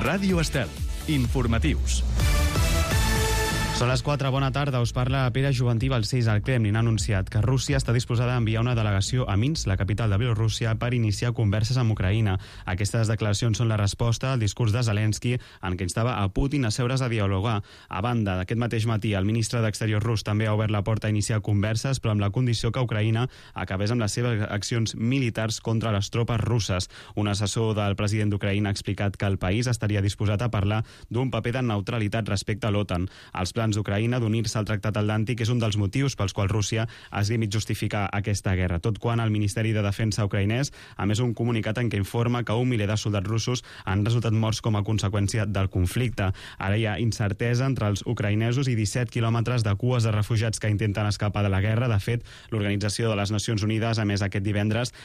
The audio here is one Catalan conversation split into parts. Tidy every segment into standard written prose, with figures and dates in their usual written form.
Ràdio Estel. Informatius. Són les 4, bona tarda. Us parla Pere Juventí Balcells. El Kremlin ha anunciat que Rússia està disposada a enviar una delegació a Minsk, la capital de Bielorússia, per iniciar converses amb Ucraïna. Aquestes declaracions són la resposta al discurs de Zelensky en què instava a Putin a seure's a dialogar. A banda, d'aquest mateix matí, el ministre d'Exteriors rus també ha obert la porta a iniciar converses, però amb la condició que Ucraïna acabés amb les seves accions militars contra les tropes russes. Un assessor del president d'Ucraïna ha explicat que el país estaria disposat a parlar d'un paper de neutralitat respecte a l'OTAN. Els plans d'Ucraïna d'unir-se al Tractat Atlàntic és un dels motius pels quals Rússia es limita a justificar aquesta guerra, tot quan el Ministeri de Defensa ucraïnès ha emès un comunicat en què informa que 1 miler de soldats russos han resultat morts com a conseqüència del conflicte. Ara hi ha incertesa entre els ucraïnesos i 17 quilòmetres de cues de refugiats que intenten escapar de la guerra. De fet, l'Organització de les Nacions Unides ha emès aquest divendres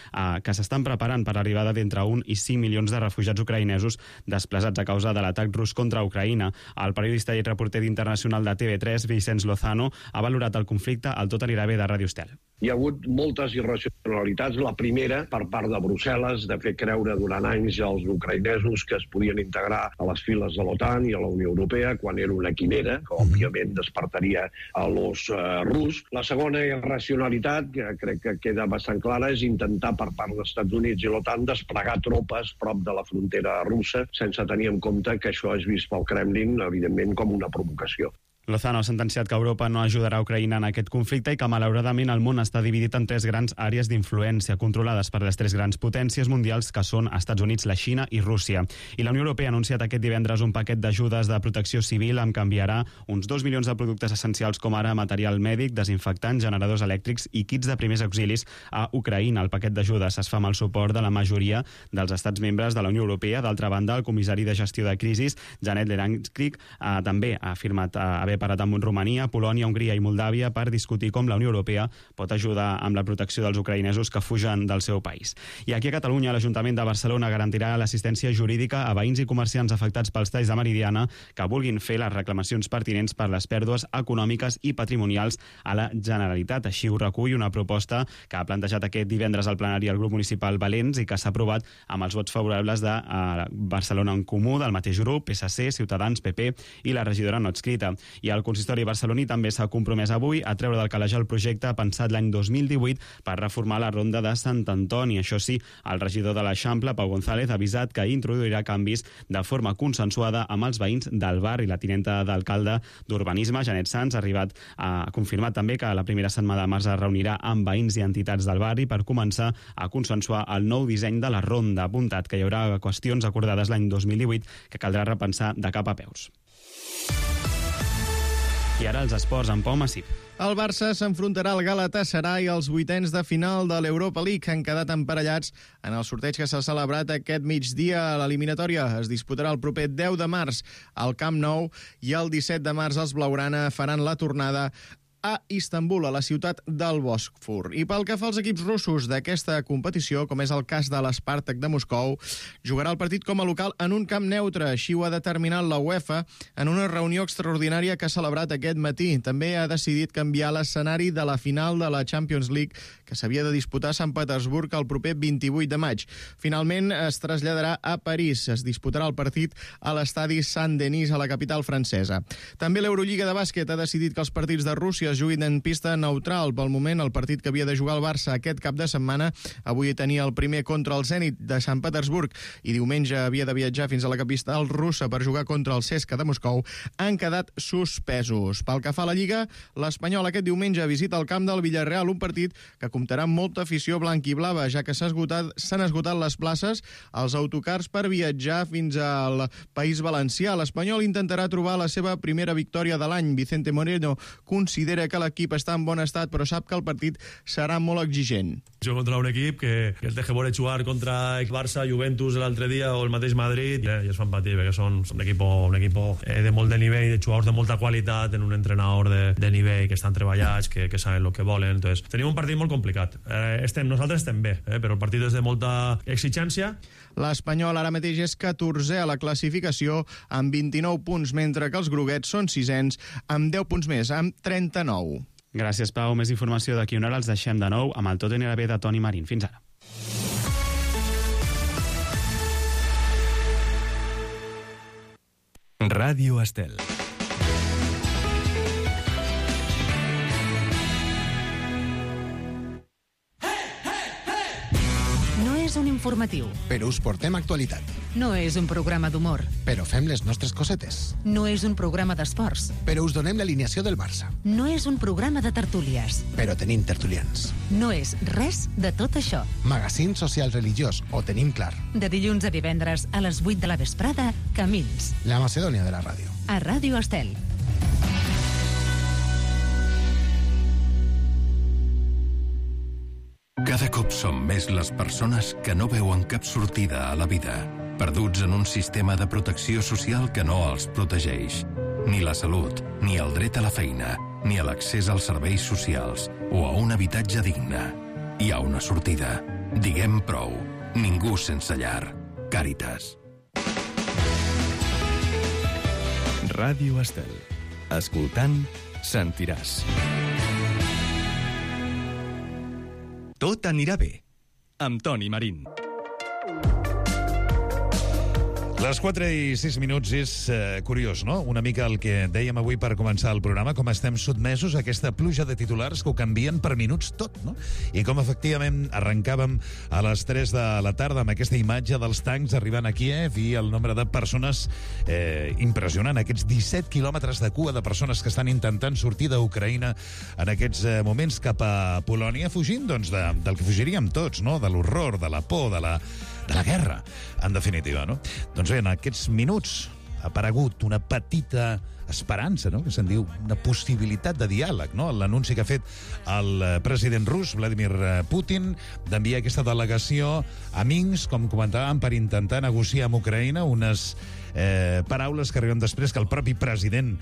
que s'estan preparant per l'arribada d'entre 1 i 5 milions de refugiats ucraïnesos desplaçats a causa de l'atac rus contra Ucraïna. El periodista i reporter internacional de TV3, Vicenç Lozano, ha valorat el conflicte al Tot anirà bé de Ràdio Estel. Hi ha hagut moltes irracionalitats. La primera, per part de Brussel·les, de fer creure durant anys als ucraïnesos que es podien integrar a les files de l'OTAN i a la Unió Europea, quan era una quimera, que òbviament despertaria a l'os rus. La segona irracionalitat, que crec que queda bastant clara, és intentar per part dels Estats Units i l'OTAN desplegar tropes prop de la frontera russa, sense tenir en compte que això és vist pel Kremlin, evidentment, com una provocació. Lozano ha sentenciat que Europa no ajudarà Ucraïna en aquest conflicte i que, malauradament, el món està dividit en 3 grans àrees d'influència controlades per les 3 grans potències mundials que són Estats Units, la Xina i Rússia. I la Unió Europea ha anunciat aquest divendres un paquet d'ajudes de protecció civil amb què enviarà uns 2 milions de productes essencials com ara material mèdic, desinfectants, generadors elèctrics i kits de primers auxilis a Ucraïna. El paquet d'ajudes es fa amb el suport de la majoria dels estats membres de la Unió Europea. D'altra banda, el comissari de gestió de crisis, Janet Lerankrik, també ha afirmat haver parat amb Romania, Polònia, Hongria i Moldàvia per discutir com la Unió Europea pot ajudar amb la protecció dels ucraïnesos que fugen del seu país. I aquí a Catalunya, l'Ajuntament de Barcelona garantirà l'assistència jurídica a veïns i comerciants afectats pels talls de Meridiana que vulguin fer les reclamacions pertinents per les pèrdues econòmiques i patrimonials a la Generalitat. Així ho recull una proposta que ha plantejat aquest divendres al plenari el grup municipal Valents i que s'ha aprovat amb els vots favorables de Barcelona en Comú, del mateix grup, PSC, Ciutadans, PP i la regidora no adscrita. I el consistori barceloní també s'ha compromès avui a treure del calaix el projecte pensat l'any 2018 per reformar la ronda de Sant Antoni. Això sí, el regidor de l'Eixample, Pau González, ha avisat que introduirà canvis de forma consensuada amb els veïns del barri. La tinenta d'alcalde d'Urbanisme, Janet Sanz, ha confirmat també que la primera setmana de març es reunirà amb veïns i entitats del barri per començar a consensuar el nou disseny de la ronda. Ha apuntat que hi haurà qüestions acordades l'any 2018 que caldrà repensar de cap a peus. I ara els esports amb Pau Massip. El Barça s'enfrontarà al Galatasaray als 8ens de final de l'Europa League, que han quedat emparellats en el sorteig que s'ha celebrat aquest migdia. L'eliminatòria es disputarà el proper 10 de març al Camp Nou i el 17 de març els blaugrana faran la tornada a Istanbul, a la ciutat del Bòsfor. I pel que fa als equips russos d'aquesta competició, com és el cas de l'Spartak de Moscou, jugarà el partit com a local en un camp neutre. Així ho ha determinat la UEFA en una reunió extraordinària que ha celebrat aquest matí. També ha decidit canviar l'escenari de la final de la Champions League, que s'havia de disputar a Sant Petersburg el proper 28 de maig. Finalment es traslladarà a París. Es disputarà el partit a l'estadi Saint-Denis, a la capital francesa. També l'Eurolliga de bàsquet ha decidit que els partits de Rússia es juguin en pista neutral. Pel moment, el partit que havia de jugar el Barça aquest cap de setmana avui tenia el primer contra el Zenit de Sant Petersburg i diumenge havia de viatjar fins a la capital russa per jugar contra el CSKA de Moscou, han quedat suspesos. Pel que fa a la Lliga, l'Espanyol aquest diumenge visita el camp del Villarreal, un partit que comptarà amb molta afició blanc-i-blava, ja que s'han esgotat les places als autocars per viatjar fins al País Valencià. L'Espanyol intentarà trobar la seva primera victòria de l'any. Vicente Moreno considera que l'equip està en bon estat, però sap que el partit serà molt exigent. Jo contra un equip que el té que veure jugar contra el Barça, Juventus l'altre dia o el mateix Madrid i es fan patir perquè són un equip de molt de nivell, de jugadors de molta qualitat, en un entrenador de nivell que estan treballats, que saben el que volen. Entonces, tenim un partit molt complicat. Nosaltres estem bé, però el partit és de molta exigència. L'Espanyol ara mateix és 14è a la classificació amb 29 punts, mentre que els groguets són 6ens amb 10 punts més, amb 39. Gràcies, Pau. Més informació d'aquí una hora. Els deixem de nou amb el Tot anirà bé de Toni Marín. Fins ara. Ràdio Estel. No és un informatiu. Però us portem actualitat. No és un programa d'humor. Però fem les nostres cosetes. No és un programa d'esports. Però us donem l'alineació del Barça. No és un programa de tertúlies. Però tenim tertulians. No és res de tot això. Magazín social religiós, ho tenim clar. De dilluns a divendres a les 8 de la vesprada, Camins. La Macedònia de la ràdio. A Ràdio Estel. Cada cop som més les persones que no veuen cap sortida a la vida, perduts en un sistema de protecció social que no els protegeix. Ni la salut, ni el dret a la feina, ni a l'accés als serveis socials o a un habitatge digne. Hi ha una sortida. Diguem prou. Ningú sense llar. Càritas. Ràdio Estel. Escoltant, sentiràs. Tot anirà bé. Amb Toni Marín. Les 4 i 6 minuts és curiós, no? Una mica el que dèiem avui per començar el programa, com estem sotmesos a aquesta pluja de titulars que ho canvien per minuts tot, no? I com efectivament arrencàvem a les 3 de la tarda amb aquesta imatge dels tancs arribant a Kíev i el nombre de persones impressionant, aquests 17 quilòmetres de cua de persones que estan intentant sortir d'Ucraïna en aquests moments cap a Polònia, fugint doncs, del que fugiríem tots, no? De l'horror, de la por, de la guerra, en definitiva, no? Doncs bé, en aquests minuts ha aparegut una petita esperança, no? Que se'n diu una possibilitat de diàleg, no? L'anunci que ha fet el president rus, Vladimir Putin, d'enviar aquesta delegació a Minsk, com comentàvem, per intentar negociar amb Ucraïna unes paraules que arriben després que el propi president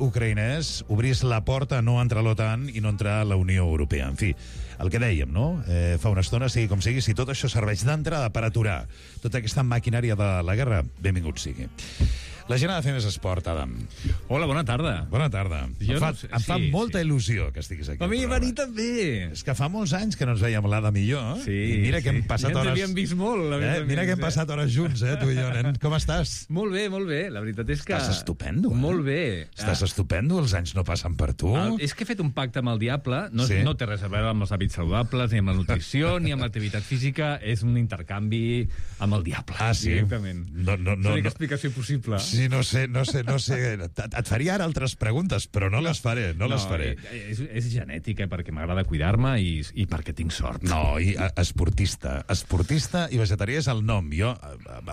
ucraïnès obrís la porta a no entrar a l'OTAN i no entrar a la Unió Europea. En fi, el que dèiem, no? Fa una estona, sigui com sigui, si tot això serveix d'entrada per aturar tota aquesta maquinària de la guerra, benvingut sigui. La gent ha de fer més esport, Adam. Hola, bona tarda. Bona tarda. Em fa molta il·lusió que estiguis aquí. A mi venir també. És que fa molts anys que no ens veiem l'Adam i jo. Sí, i mira que hem passat hores... Ja ens havíem vist molt. Mira que hem passat hores junts, tu i jo, nen. Com estàs? Molt bé, molt bé. La veritat és que... Estàs estupendo, Molt bé. Estàs estupendo, els anys no passen per tu. És que he fet un pacte amb el diable. No té res a veure amb els hàbits saludables, ni amb la nutrició, ni amb l'activitat física. És un intercanvi amb el diable. Ah, sí? Directament. No. L'única explicació possible. Sí, no sé. Et faria ara altres preguntes, però no les faré, les faré. És genètica, perquè m'agrada cuidar-me i perquè tinc sort. No, i esportista i vegetarià és el nom. Jo,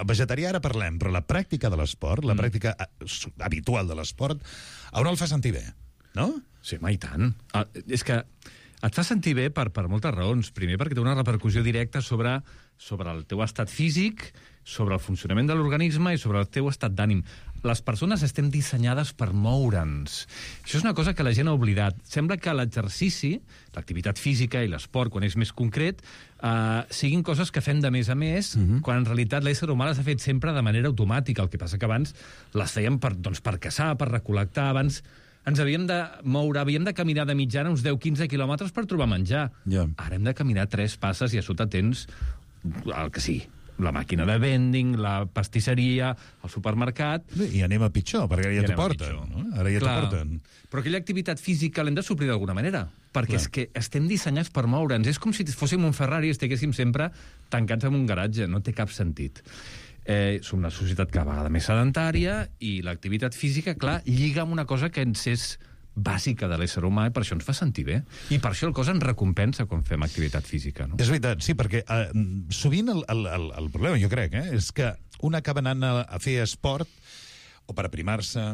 vegetarià ara parlem, però la pràctica de l'esport, la pràctica habitual de l'esport, a on el fa sentir bé, no? Sí, home, i tant. És que et fa sentir bé per moltes raons. Primer, perquè té una repercussió directa sobre el teu estat físic, sobre el funcionament de l'organisme i sobre el teu estat d'ànim. Les persones estem dissenyades per moure'ns. Això és una cosa que la gent ha oblidat. Sembla que l'exercici, l'activitat física i l'esport, quan és més concret, siguin coses que fem de més a més, quan en realitat l'ésser humà les ha fet sempre de manera automàtica. El que passa que abans les fèiem per caçar, per recol·lectar. Abans ens havíem de moure, havíem de caminar de mitjana uns 10-15 quilòmetres per trobar menjar. Ara hem de caminar 3 passes i a sota tens el que sigui. La màquina de vending, la pastisseria, el supermercat... I anem a pitjor, perquè ara ja t'ho porten. No? Ara ja t'ho porten. Però aquella activitat física l'hem de suplir d'alguna manera, perquè és que estem dissenyats per moure'ns. És com si fóssim un Ferrari i estiguéssim sempre tancats en un garatge. No té cap sentit. Som una societat cada vegada més sedentària i l'activitat física, clar, lliga amb una cosa que ens és bàsica de l'ésser humà i per això ens fa sentir bé. I per això el cos ens recompensa quan fem activitat física, no? És veritat, sí, perquè sovint el problema, jo crec, és que un acaba anant a fer esport o per aprimar-se,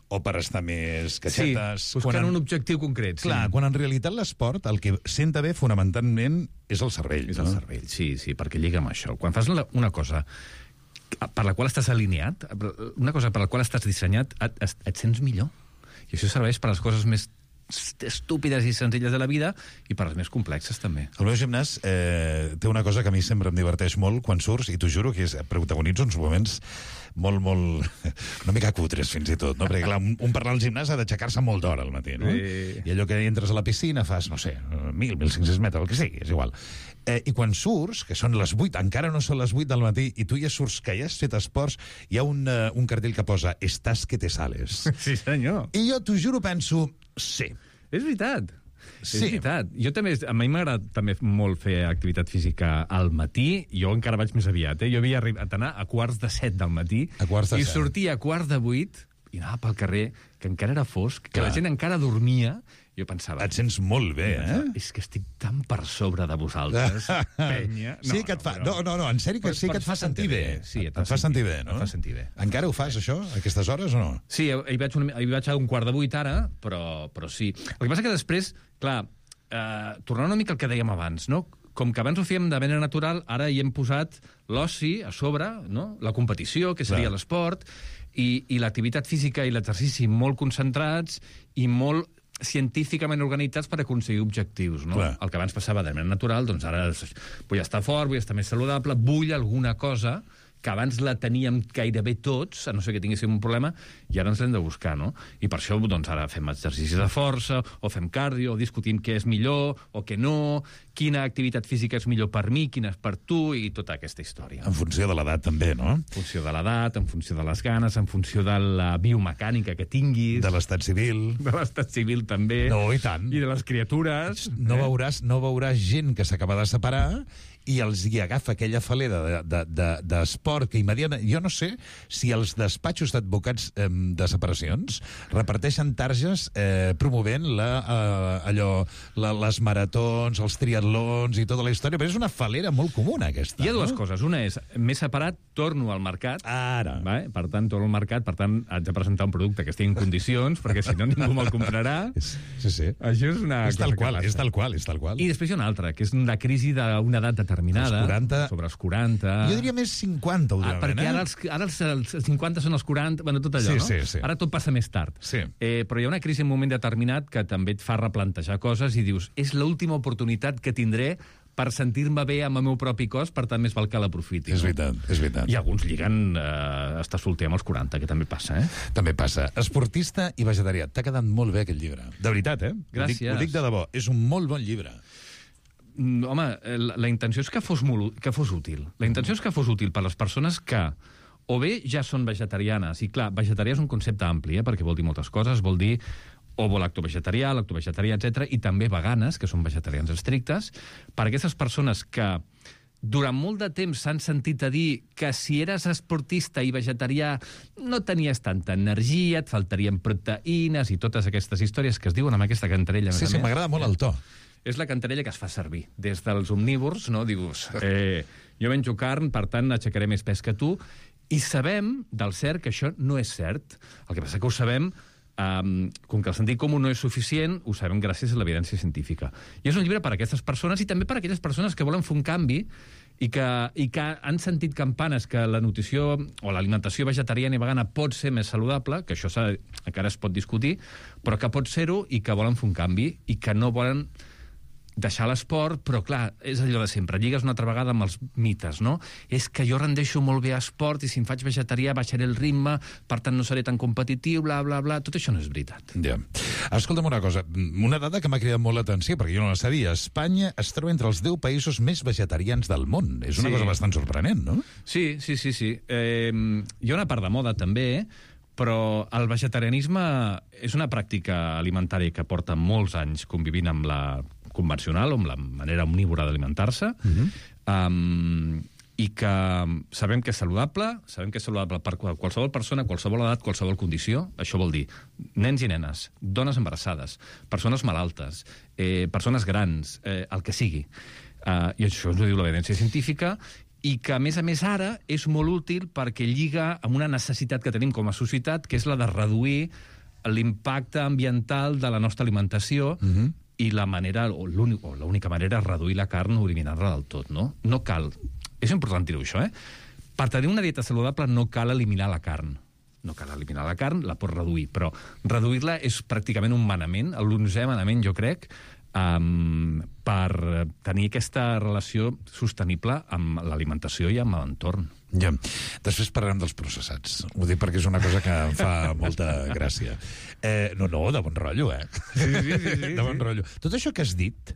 o per estar més catxetes... Sí, buscant un objectiu concret. Clar, quan en realitat l'esport el que senta bé fonamentalment és el cervell. És el cervell, sí, perquè lliga amb això. Quan fas una cosa per la qual estàs alineat, una cosa per la qual estàs dissenyat, et sents millor. I això serveix per a les coses més estúpides i senzilles de la vida i per les més complexes, també. El meu gimnàs té una cosa que a mi sempre em diverteix molt quan surts, i t'ho juro que protagonitzo uns moments molt, una mica cutres, fins i tot, no? Perquè, clar, un per anar al gimnàs ha d'aixecar-se molt d'hora al matí, no? I allò que entres a la piscina fas, no sé, 1.000, 1.500 metres, el que sigui, és igual. I quan surts, que són les 8, encara no són les 8 del matí, i tu ja surts, que ja has fet esports, hi ha un cartell que posa «Estàs que te sales». Sí, senyor. I jo, t'ho juro, penso, sí. És veritat. Sí. És veritat. Jo també, a mi m'agrada també molt fer activitat física al matí. Jo encara vaig més aviat. Jo havia arribat a anar a 6:45 del matí i sortia a 7:45 i anava pel carrer, que encara era fosc, que la gent encara dormia. Jo pensava... Et sents molt bé, És que estic tan per sobre de vosaltres, penya. Sí que et fa... No, en sèrio, que sí que et fa sentir bé. Sí, et fa sentir bé, no? Et fa sentir bé. Encara ho fas, això, a aquestes hores, o no? Sí, hi vaig a 7:15 ara, però sí. El que passa que després, clar, tornant una mica al que dèiem abans, no? Com que abans ho fèiem de manera natural, ara hi hem posat l'oci a sobre, no? La competició, que seria l'esport, i l'activitat física i l'exercici molt concentrats i molt científicament organitzats per aconseguir objectius, no? El que abans passava de manera natural, doncs ara vull estar fort, vull estar més saludable, vull alguna cosa que abans la teníem gairebé tots, a no ser que tinguéssim un problema, i ara ens l'hem de buscar, no? I per això, doncs, ara fem exercicis de força, o fem cardio, o discutim què és millor, o què no, quina activitat física és millor per mi, quina és per tu, i tota aquesta història. En funció de l'edat, també, no? En funció de l'edat, en funció de les ganes, en funció de la biomecànica que tinguis. De l'estat civil. De l'estat civil, també. No, i tant. I de les criatures. No veuràs gent que s'acaba de separar i els hi agafa aquella falera d'esport que immediatament... Jo no sé si els despatxos d'advocats de separacions reparteixen targes promovent les maratons, els triatlons i tota la història, però és una falera molt comuna, aquesta. Hi ha dues coses. Una és, m'he separat, torno al mercat. Ara. Per tant, torno al mercat, per tant, haig de presentar un producte que estigui en condicions, perquè si no ningú me'l comprarà. Sí. Això és una cosa que passa. És tal qual. I després hi ha una altra, que és la crisi d'una edat determinada, sobre els 40... Jo diria més 50, últimament. Perquè ara els 50 són els 40, bueno, tot allò, no? Sí. Ara tot passa més tard. Sí. Però hi ha una crisi en un moment determinat que també et fa replantejar coses i dius, és l'última oportunitat que tindré per sentir-me bé amb el meu propi cos, per tant més val que l'aprofiti. És veritat. I alguns lliguen estar solter amb els 40, que també passa, També passa. Esportista i vegetarià. T'ha quedat molt bé aquest llibre. De veritat, Gràcies. Ho dic de debò. És un molt bon llibre. Home, la intenció és que fos útil. La intenció és que fos útil per les persones que o bé ja són vegetarianes, i clar, vegetarià és un concepte ampli, perquè vol dir moltes coses, vol dir ovo lactovegetarià, etc., i també veganes, que són vegetarians estrictes, per aquestes persones que durant molt de temps s'han sentit a dir que si eres esportista i vegetarià no tenies tanta energia, et faltarien proteïnes i totes aquestes històries que es diuen amb aquesta cantarella. Sí, m'agrada molt el to. És la cantarella que es fa servir. Des dels omnívors, no? Dius, jo menjo carn, per tant aixecaré més pes que tu, i sabem del cert que això no és cert. El que passa que ho sabem, com que el sentit comú no és suficient, ho sabem gràcies a l'evidència científica. I és un llibre per a aquestes persones i també per a aquelles persones que volen fer un canvi i que han sentit campanes que la nutrició o l'alimentació vegetariana i vegana pot ser més saludable, que això encara es pot discutir, però que pot ser-ho i que volen fer un canvi i que no volen deixar l'esport, però clar, és allò de sempre, lligues una altra vegada amb els mites, no? És que jo rendeixo molt bé a esport i si em faig vegetarià baixaré el ritme, per tant no seré tan competitiu, bla, bla, bla... Tot això no és veritat. Ja. Escolta'm una cosa, una dada que m'ha cridat molt l'atenció, perquè jo no la sabia. Espanya es troba entre els 10 països més vegetarians del món. És una cosa bastant sorprenent, no? Sí. Hi ha una part de moda, també, però el vegetarianisme és una pràctica alimentària que porta molts anys convivint amb la convencional, o amb la manera omnívora d'alimentar-se, i que sabem que és saludable per qualsevol persona, qualsevol edat, qualsevol condició. Això vol dir nens i nenes, dones embarassades, persones malaltes, persones grans, el que sigui. I això ens ho diu l'evidència científica, i que, a més ara, és molt útil perquè lliga amb una necessitat que tenim com a societat, que és la de reduir l'impacte ambiental de la nostra alimentació, i la manera, o l'única manera, és reduir la carn o eliminar-la del tot, no? No cal... És important dir-ho, això, Per tenir una dieta saludable no cal eliminar la carn. no cal eliminar la carn, la pots reduir, però reduir-la és pràcticament un manament, l'11è manament, jo crec, per tenir aquesta relació sostenible amb l'alimentació i amb l'entorn. Ja. Després parlarem dels processats. Ho dic perquè és una cosa que em fa molta gràcia. No, de bon rotllo, Sí. De bon rotllo. Tot això que has dit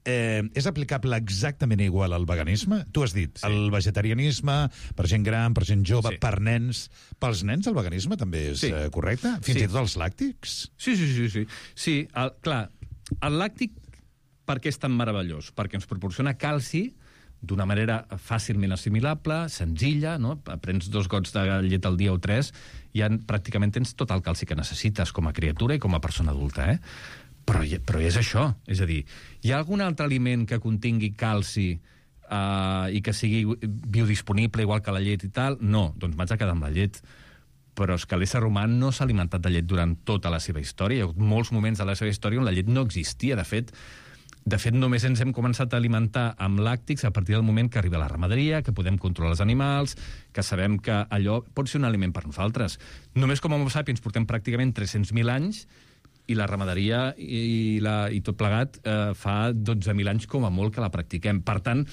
és aplicable exactament igual al veganisme? Tu has dit, el vegetarianisme per gent gran, per gent jove, per nens. Pels nens el veganisme també és correcte? Fins i tot els làctics? Sí, clar, el làctic per què és tan meravellós? Perquè ens proporciona calci d'una manera fàcilment assimilable, senzilla, no? Prens 2 gots de llet al dia o 3 i pràcticament tens tot el calci que necessites com a criatura i com a persona adulta, Però és això. És a dir, hi ha algun altre aliment que contingui calci i que sigui biodisponible igual que la llet i tal? No, doncs m'haig de quedar amb la llet. Però és que l'ésser humà no s'ha alimentat de llet durant tota la seva història. Hi ha hagut molts moments de la seva història on la llet no existia. De fet, només ens hem començat a alimentar amb làctics a partir del moment que arriba la ramaderia, que podem controlar els animals, que sabem que allò pot ser un aliment per nosaltres. Només com a Homo sapiens portem pràcticament 300.000 anys i la ramaderia i tot plegat fa 12.000 anys com a molt que la practiquem. Per tant,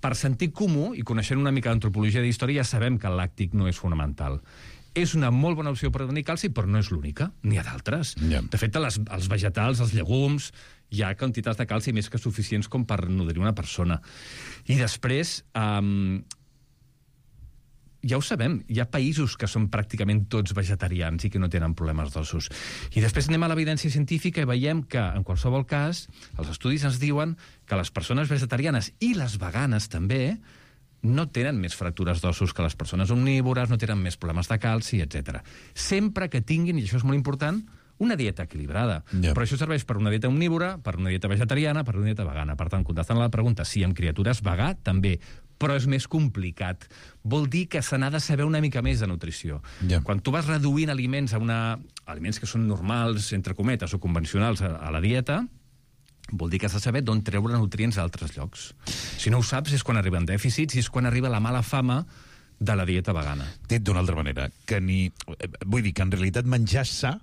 per sentit comú i coneixent una mica d'antropologia d'història, ja sabem que el làctic no és fonamental. És una molt bona opció per tenir calci, però no és l'única. N'hi ha d'altres. De fet, els vegetals, els llegums, hi ha quantitats de calci més que suficients com per nodrir una persona. I després, ja ho sabem, hi ha països que són pràcticament tots vegetarians i que no tenen problemes d'ossos. I després anem a l'evidència científica i veiem que, en qualsevol cas, els estudis ens diuen que les persones vegetarianes i les veganes també no tenen més fractures d'ossos que les persones omnívores, no tenen més problemes de calci, etc. Sempre que tinguin, i això és molt important, una dieta equilibrada. Però això serveix per una dieta omnívora, per una dieta vegetariana, per una dieta vegana. Per tant, contestant a la pregunta, sí, amb criatures vegà, també, però és més complicat. Vol dir que se n'ha de saber una mica més de nutrició. Quan tu vas reduint aliments aliments que són normals, entre cometes, o convencionals a la dieta, vol dir que has de saber d'on treure nutrients a altres llocs. Si no ho saps, és quan arriben dèficits i és quan arriba la mala fama de la dieta vegana. Dit d'una altra manera, vull dir que en realitat menjar sa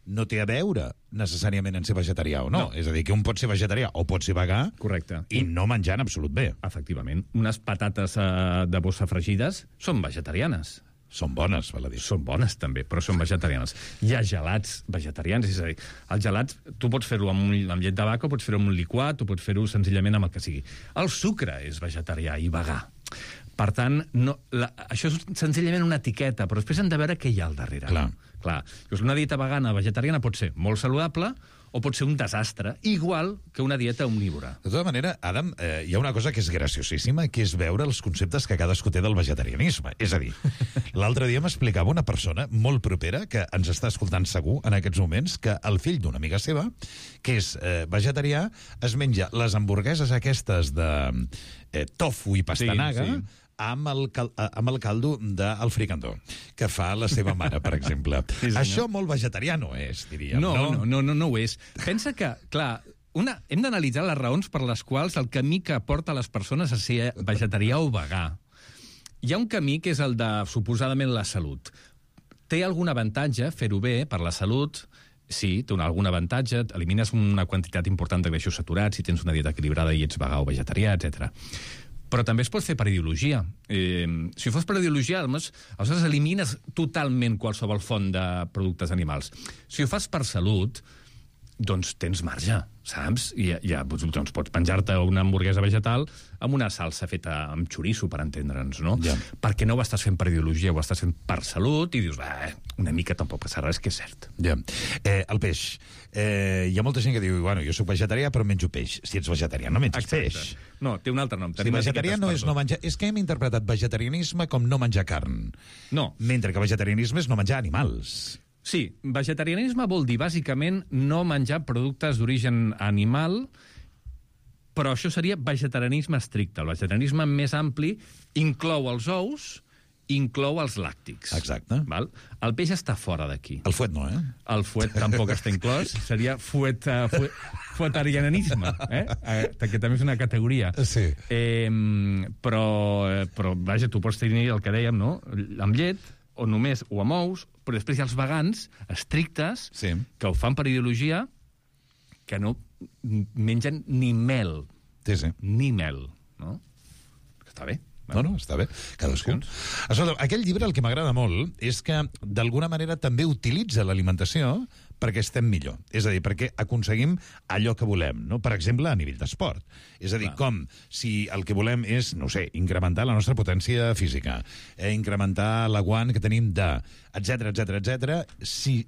no té a veure necessàriament en ser vegetarià o no. És a dir, que un pot ser vegetarià o pot ser vegà. Correcte. I no menjar en absolut bé. Efectivament. Unes patates de bossa fregides són vegetarianes. Són bones, val a dir. Són bones, també, però són vegetarianes. Hi ha gelats vegetarians, és a dir, els gelats, tu pots fer-ho amb llet de vaca, pots fer-ho amb un liquat, o pots fer-ho senzillament amb el que sigui. El sucre és vegetarià i vegà. Per tant, això és senzillament una etiqueta, però després hem de veure què hi ha al darrere. Clar. Una dieta vegana vegetariana pot ser molt saludable o pot ser un desastre, igual que una dieta omnívora. De tota manera, Adam, hi ha una cosa que és graciosíssima, que és veure els conceptes que cadascú té del vegetarianisme. És a dir, l'altre dia m'explicava una persona molt propera, que ens està escoltant segur en aquests moments, que el fill d'una amiga seva, que és vegetarià, es menja les hamburgueses aquestes de tofu i pastanaga, amb el caldo del fricandó, que fa la seva mare, per exemple. Això molt vegetarià no és, diríem. No ho és. Pensa que, clar, hem d'analitzar les raons per les quals el camí que porta les persones a ser vegetarià o vegà. Hi ha un camí que és el de, suposadament, la salut. Té algun avantatge fer-ho bé per la salut? Sí, té algun avantatge, elimines una quantitat important de greixos saturats si tens una dieta equilibrada i ets vegà o vegetarià, etc. Però també es pot fer per ideologia. Si fos per ideologia, aleshores elimines totalment qualsevol font de productes animals. Si ho fas per salut, doncs tens marge, saps? I doncs pots penjar-te una hamburguesa vegetal amb una salsa feta amb xoriço, per entendre'ns, no? Perquè no ho estàs fent per ideologia, ho estàs fent per salut, i dius, una mica tampoc passa res, que és cert. El peix. Hi ha molta gent que diu, bueno, jo soc vegetarià però menjo peix. Si ets vegetarià no menges peix. No, té un altre nom. Si vegetarià no és no menjar... És que hem interpretat vegetarianisme com no menjar carn. No. Mentre que vegetarianisme és no menjar animals. Sí, vegetarianisme vol dir, bàsicament, no menjar productes d'origen animal, però això seria vegetarianisme estricte. El vegetarianisme més ampli inclou els ous, inclou els làctics. Exacte. Val? El peix està fora d'aquí. El fuet no, El fuet tampoc està inclòs. Seria fuetarianisme, que també és una categoria. Sí. Però vaja, tu pots tenir el que dèiem, no? Amb llet o només ho amb ous, però després hi ha els vegans estrictes que ho fan per ideologia, que no mengen ni mel. Ni mel, no? Està bé. No, està bé. Cadascú. Escolta, aquell llibre el que m'agrada molt és que d'alguna manera també utilitza l'alimentació perquè estem millor. És a dir, perquè aconseguim allò que volem, no? Per exemple, a nivell d'esport. És a dir, com si el que volem és, no sé, incrementar la nostra potència física, incrementar l'aguant que tenim etc. Si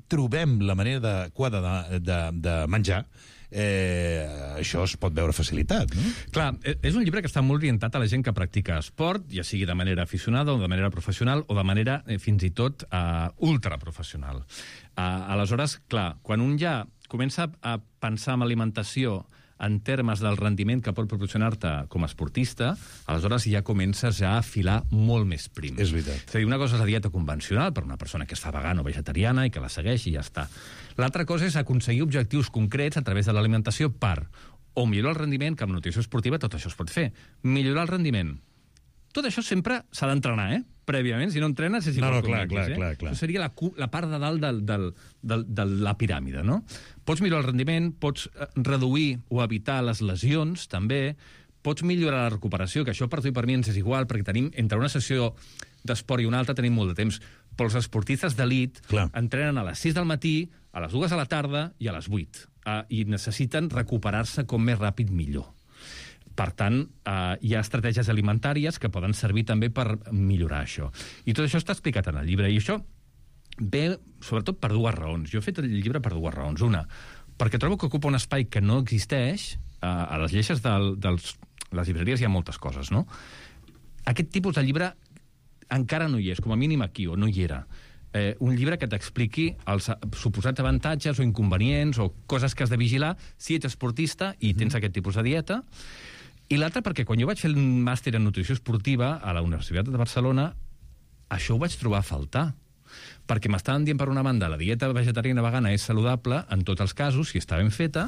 trobem la manera adequada de menjar, això es pot veure facilitat, no? Clar, és un llibre que està molt orientat a la gent que practica esport, ja sigui de manera aficionada o de manera professional o de manera fins i tot ultraprofessional. Aleshores, clar, quan un ja comença a pensar en alimentació en termes del rendiment que pot proporcionar-te com a esportista, aleshores ja comences a afilar molt més prim. És veritat. És a dir, una cosa és la dieta convencional per una persona que es fa vegana o vegetariana i que la segueix i ja està. L'altra cosa és aconseguir objectius concrets a través de l'alimentació per o millorar el rendiment, que amb nutrició esportiva tot això es pot fer. Millorar el rendiment. Tot això sempre s'ha d'entrenar, prèviament, si no entrenes és igual clar. Això seria la part de dalt de la piràmide, no? Pots millorar el rendiment, pots reduir o evitar les lesions, també, pots millorar la recuperació, que això per tu i per mi ens és igual, perquè tenim, entre una sessió d'esport i una altra, tenim molt de temps. Però els esportistes d'elit entrenen a les 6 del matí, a les 2 de la tarda i a les 8. I necessiten recuperar-se com més ràpid millor. Per tant, hi ha estratègies alimentàries que poden servir també per millorar això. I tot això està explicat en el llibre. I això ve, sobretot, per dues raons. Jo he fet el llibre per dues raons. Una, perquè trobo que ocupa un espai que no existeix. A les lleixes de les llibreries hi ha moltes coses, no? Aquest tipus de llibre encara no hi és, com a mínim aquí, o no hi era. Un llibre que t'expliqui els suposats avantatges o inconvenients o coses que has de vigilar si ets esportista i tens aquest tipus de dieta. I l'altre perquè quan jo vaig fer el màster en nutrició esportiva a la Universitat de Barcelona, això ho vaig trobar a faltar. Perquè m'estaven dient, per una banda, la dieta vegetariana vegana és saludable en tots els casos, si està ben feta,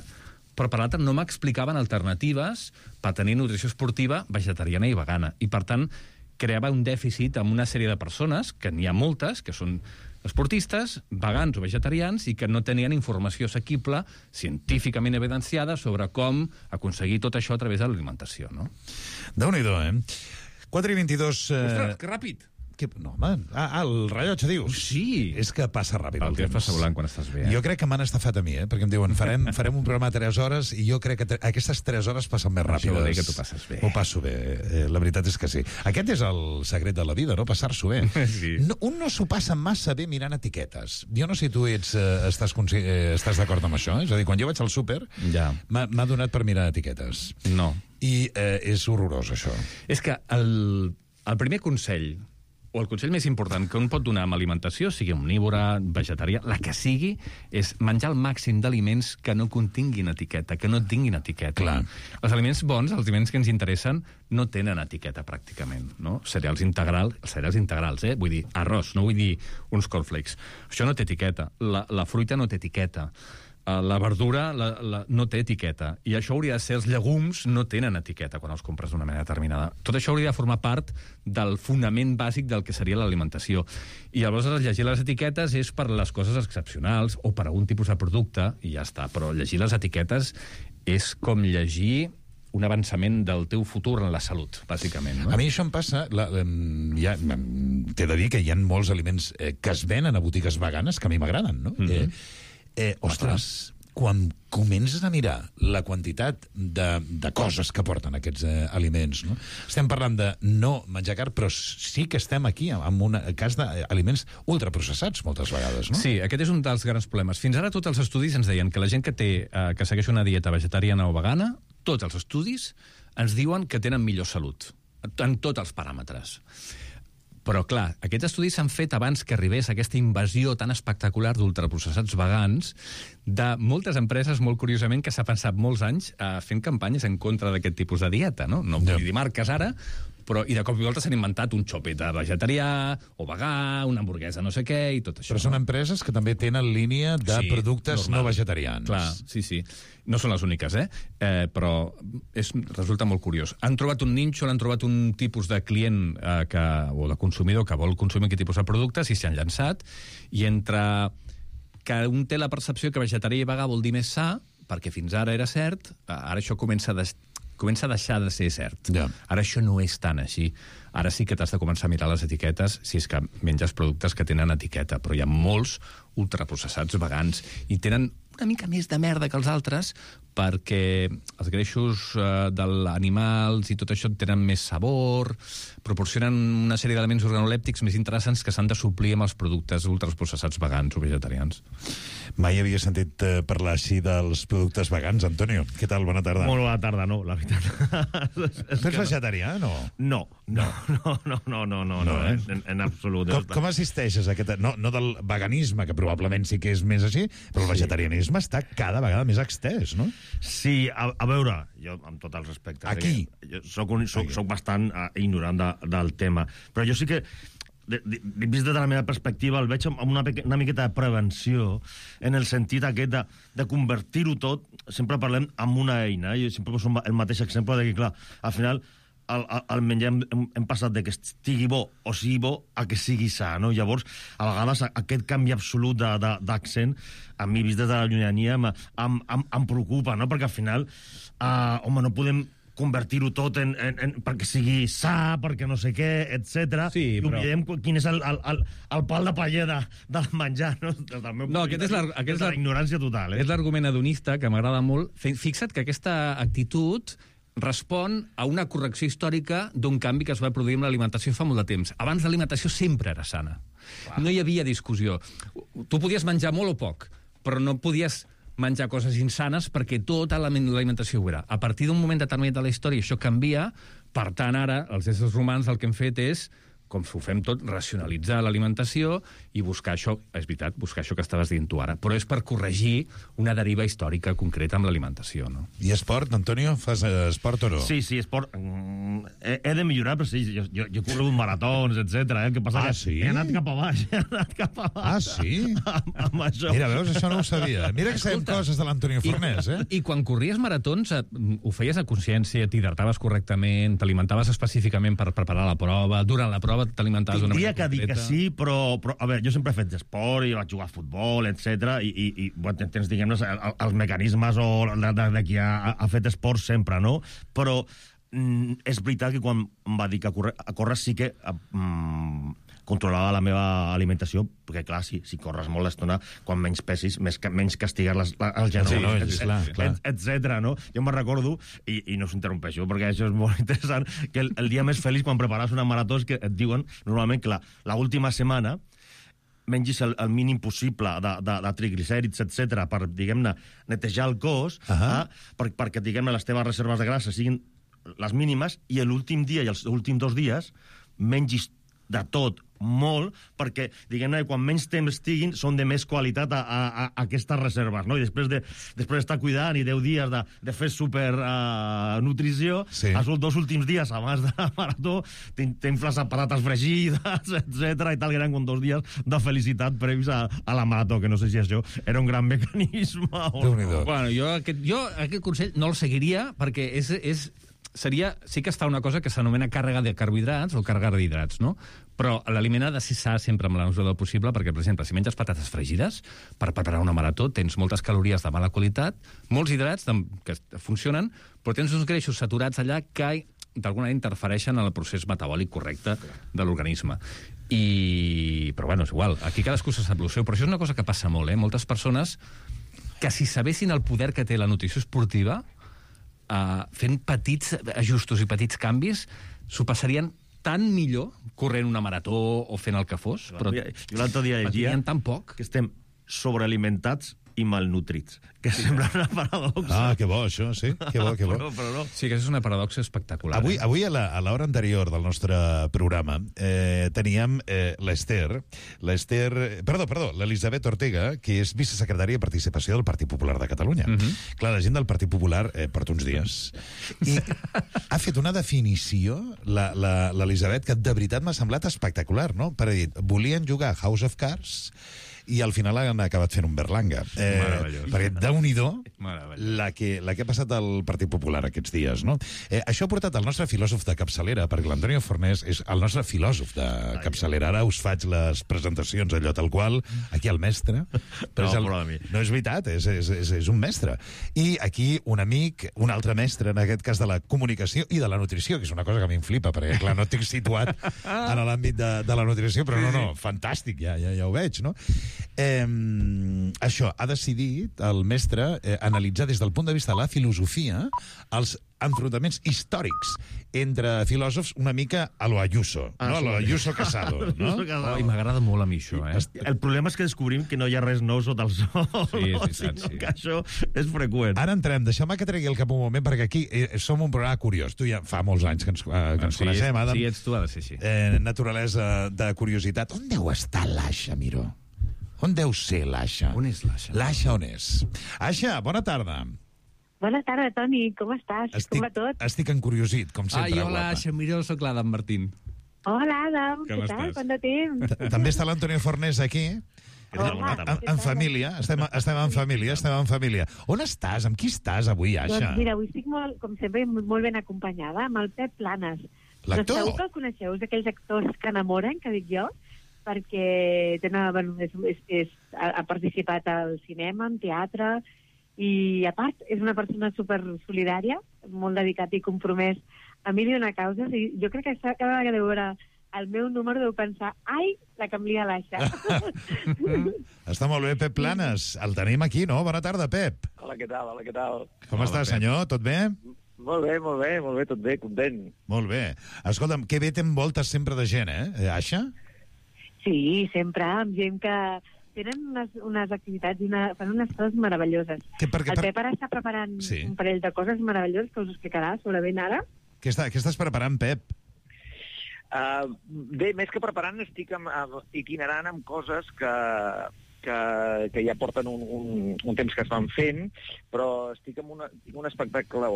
però per l'altra no m'explicaven alternatives per tenir nutrició esportiva vegetariana i vegana. I, per tant, creava un dèficit amb una sèrie de persones, que n'hi ha moltes, que són esportistes, vegans o vegetarians, i que no tenien informació assequible, científicament evidenciada, sobre com aconseguir tot això a través de l'alimentació, no? Déu-n'hi-do, 4:22... Ostres, que ràpid! No, home, el rellotge, dius? Sí. És que passa ràpid el temps. El temps passa volant quan estàs bé. Jo crec que m'han estafat a mi, perquè em diuen, farem un programa a 3 hores, i jo crec que aquestes 3 hores passen més ràpides. Això vol dir que tu passes bé. Ho passo bé, la veritat és que sí. Aquest és el secret de la vida, no? Passar-s'ho bé. Sí. Un no s'ho passa massa bé mirant etiquetes. Jo no sé si tu estàs d'acord amb això, és a dir, quan jo vaig al súper, m'ha donat per mirar etiquetes. No. I és horrorós, això. És que el primer consell, o el consell més important que un pot donar amb alimentació, sigui omnívora, vegetarià, la que sigui, és menjar el màxim d'aliments que no continguin etiqueta, que no tinguin etiqueta. Clar. Els aliments bons, els aliments que ens interessen, no tenen etiqueta, pràcticament, no? Cereals integrals, Vull dir, arròs, no vull dir uns cornflakes. Això no té etiqueta. La fruita no té etiqueta. La verdura no té etiqueta. I això hauria de ser, els llegums no tenen etiqueta quan els compres d'una manera determinada. Tot això hauria de formar part del fonament bàsic del que seria l'alimentació. I llavors llegir les etiquetes és per les coses excepcionals o per algun tipus de producte, i ja està. Però llegir les etiquetes és com llegir un avançament del teu futur en la salut, bàsicament. No? A mi això em passa... T'he de dir que hi ha molts aliments que es venen a botigues veganes que a mi m'agraden, no? Ostres, quan comences a mirar la quantitat de coses que porten aquests aliments, no? Estem parlant de no menjar carn, però sí que estem aquí en un cas d'aliments ultraprocessats moltes vegades, no? Sí, aquest és un dels grans problemes. Fins ara tots els estudis ens deien que la gent que segueix una dieta vegetariana o vegana, tots els estudis ens diuen que tenen millor salut, en tots els paràmetres. Però, clar, aquests estudis s'han fet abans que arribés aquesta invasió tan espectacular d'ultraprocessats vegans de moltes empreses, molt curiosament, que s'ha pensat molts anys fent campanyes en contra d'aquest tipus de dieta, no? No vull dir marques ara, I de cop i volta s'han inventat un xopeta vegetarià o vegà, una hamburguesa no sé què i tot això. Però són empreses que també tenen línia de productes no vegetarians. Clar, sí. No són les úniques, però resulta molt curiós. Han trobat un nínxol, han trobat un tipus de client o de consumidor que vol consumir aquest tipus de productes i s'hi han llançat. I entre que un té la percepció que vegetarià i vegà vol dir més sa, perquè fins ara era cert, ara això comença a deixar de ser cert. Ja. Ara això no és tan així. Ara sí que t'has de començar a mirar les etiquetes si és que menges productes que tenen etiqueta, però hi ha molts ultraprocessats vegans i tenen una mica més de merda que els altres perquè els greixos dels animals i tot això tenen més sabor, proporcionen una sèrie d'elements organolèptics més interessants que s'han de suplir amb els productes ultraprocessats vegans o vegetarians. Mai havia sentit parlar així dels productes vegans, Antonio. Què tal? Bona tarda. Molt bona tarda, no, la veritat. Tu ets vegetarià, no? No, en absolut. Com assisteixes a aquest... No del veganisme, que probablement sí que és més així, però el vegetarianisme està cada vegada més extès, no? Sí, a veure, jo amb tot el respecte... Aquí? Soc bastant ignorant del tema, però jo sí que vist des de la meva perspectiva, el veig amb una miqueta de prevenció, en el sentit aquest de convertir-ho tot, sempre parlem amb una eina, jo sempre poso el mateix exemple de que, clar, al final el menjar hem passat de que estigui bo o sigui bo a que sigui sa, no? Llavors, a vegades aquest canvi absolut d'accent, a mi, vist des de la llunyania, em preocupa, no? Perquè al final, home, no podem convertir-ho tot perquè sigui sa, perquè no sé què, etc. Sí, i oblidem quin és el pal de paller del menjar, no? Aquest és la ignorància total. És l'argument hedonista que m'agrada molt. Fixa't que aquesta actitud respon a una correcció històrica d'un canvi que es va produir amb l'alimentació fa molt de temps. Abans l'alimentació sempre era sana. Clar. No hi havia discussió. Tu podies menjar molt o poc, però no podies menjar coses insanes perquè tota l'alimentació ho era. A partir d'un moment determinat de la història això canvia, per tant ara els éssers humans el que hem fet és, com ho fem tot, racionalitzar l'alimentació i buscar això, és veritat, buscar això que estaves dient tu ara, però és per corregir una deriva històrica concreta amb l'alimentació, no? I esport, Antonio? Fas esport o no? Sí, esport. He de millorar, però sí, jo he corregut maratons, etc. El que passa que sí? He anat cap a baix. Sí? Amb això. Mira, veus, això no ho sabia. Mira que sabem coses de l'Antonio Fornés, I quan corries maratons ho feies a consciència, t'hidrataves correctament, t'alimentaves específicament per preparar la prova, durant la prova t'alimentaves d'una manera concreta? Diria que dic que sí, però a veure, jo sempre he fet esport i vaig jugar a futbol, etc. I tens, diguem-ne, els mecanismes de qui ha fet esport sempre, no? Però és veritat que quan em va dir que a córrer sí que controlava la meva alimentació, perquè, clar, si corres molt l'estona, quan menys pesis, menys castigues els genolls, etc. No? Jo me'n recordo, i no us interrompeixo, perquè això és molt interessant, que el dia més feliç quan prepares una marató és que et diuen, normalment, que l'última setmana mengis el mínim possible de triglicèrids, etc., per, diguem-ne, netejar el cos, perquè, diguem-ne, les teves reserves de grassa siguin les mínimes, i l'últim dia i els últims 2 dies mengis de tot, molt, perquè, diguem-ne, quan menys temps estiguin, són de més qualitat a aquestes reserves, no? I després d'estar cuidant i 10 dies de fer supernutrició, els 2 últims dies abans de la marató t'infles a patates fregides, etc. i tal, que eren com 2 dies de felicitat previs a la marató, que no sé si això era un gran mecanisme o no. Bueno, jo aquest consell no el seguiria, perquè sí que es fa una cosa que s'anomena càrrega de carbohidrats o càrrega d'hidrats, no? Però l'aliment ha de ser sa sempre amb la mesura del possible, perquè, per exemple, si menges patates fregides per preparar una marató, tens moltes calories de mala qualitat, molts hidrats que funcionen, però tens uns greixos saturats allà que d'alguna manera interfereixen en el procés metabòlic correcte de l'organisme. Però, bueno, és igual. Aquí cadascú se sap el seu, però això és una cosa que passa molt, Moltes persones que, si sabessin el poder que té la nutrició esportiva, fent petits ajustos i petits canvis, s'ho passarien tan millor corrent una marató o fent el que fos, però jo l'altre dia llegia tan poc que estem sobrealimentats i malnutrits, que sembla una paradoxa. Ah, que bo, això, sí. Que bo, que bo. Però no. Sí, que és una paradoxa espectacular. Avui a l'hora anterior del nostre programa, teníem l'Esther, l'Elisabet Ortega, que és vicesecretària de Participació del Partit Popular de Catalunya. Clar, la gent del Partit Popular porta uns dies. I ha fet una definició, l'Elisabet, que de veritat m'ha semblat espectacular, no? Per dir, volien jugar House of Cards i al final han acabat fent un Berlanga. Perquè Déu-n'hi-do la que ha passat al Partit Popular aquests dies, no? Això ha portat el nostre filòsof de capçalera, perquè l'Antonio Fornés és el nostre filòsof de capçalera. Ara us faig les presentacions, allò tal qual, aquí el mestre. No és veritat, és un mestre. I aquí un amic, un altre mestre, en aquest cas de la comunicació i de la nutrició, que és una cosa que a mi em flipa, perquè, clar, no estic situat en l'àmbit de la nutrició, però no, fantàstic, ja ho veig, no? Això, ha decidit el mestre analitzar des del punt de vista de la filosofia els enfrontaments històrics entre filòsofs una mica a lo Ayuso, no? A lo Ayuso Casado, no? I m'agrada molt a mi això, El problema és que descobrim que no hi ha res nou sota el sol. Sí, és veritat, sí. Que això és freqüent. Ara entrem, deixeu-me que tregui el cap un moment, perquè aquí som un programa curiós. Tu ja fa molts anys que ens coneixem, Adam. Sí, ets tu, ha de ser així. Naturalesa de curiositat. On deu estar l'Aixa, Miró? On deu ser l'Aixa? On és l'Aixa? L'Aixa on és? Aixa, bona tarda. Bona tarda, Toni. Com estàs? Com va tot? Estic encuriosit, com sempre. Hola, Aixa, mira, soc l'Adam Martín. Hola, Adam. Com Què tal? estàs? Quant de temps? També està l'Antonio Fornés aquí. En família, estem en família. On estàs? Amb qui estàs avui, Aixa? Doncs mira, avui estic, com sempre, molt ben acompanyada amb el Pep Planes. L'actor? Segur que el coneixeu, és d'aquells actors que enamoren, que dic jo, perquè ha participat al cinema, en teatre, i a part és una persona super solidària, molt dedicat i compromès a mil i una causes, i jo crec que cada vegada que deu veure el meu número deu pensar, ai, la que em lia l'Aixa. Està molt bé, Pep Planes. El tenim aquí, no? Bona tarda, Pep. Hola, què tal? Com estàs, senyor? Tot bé? Molt bé, tot bé, content. Molt bé. Escolta'm, que bé t'envoltes sempre de gent, Aixa? Sí, sempre, amb gent que tenen unes activitats i fan unes coses meravelloses. El Pep ara està preparant un parell de coses meravelloses que us explicarà segurament ara. Què estàs preparant, Pep? Bé, més que preparant, estic itinerant amb coses que ja porten un temps que es van fent, però estic amb un espectacle,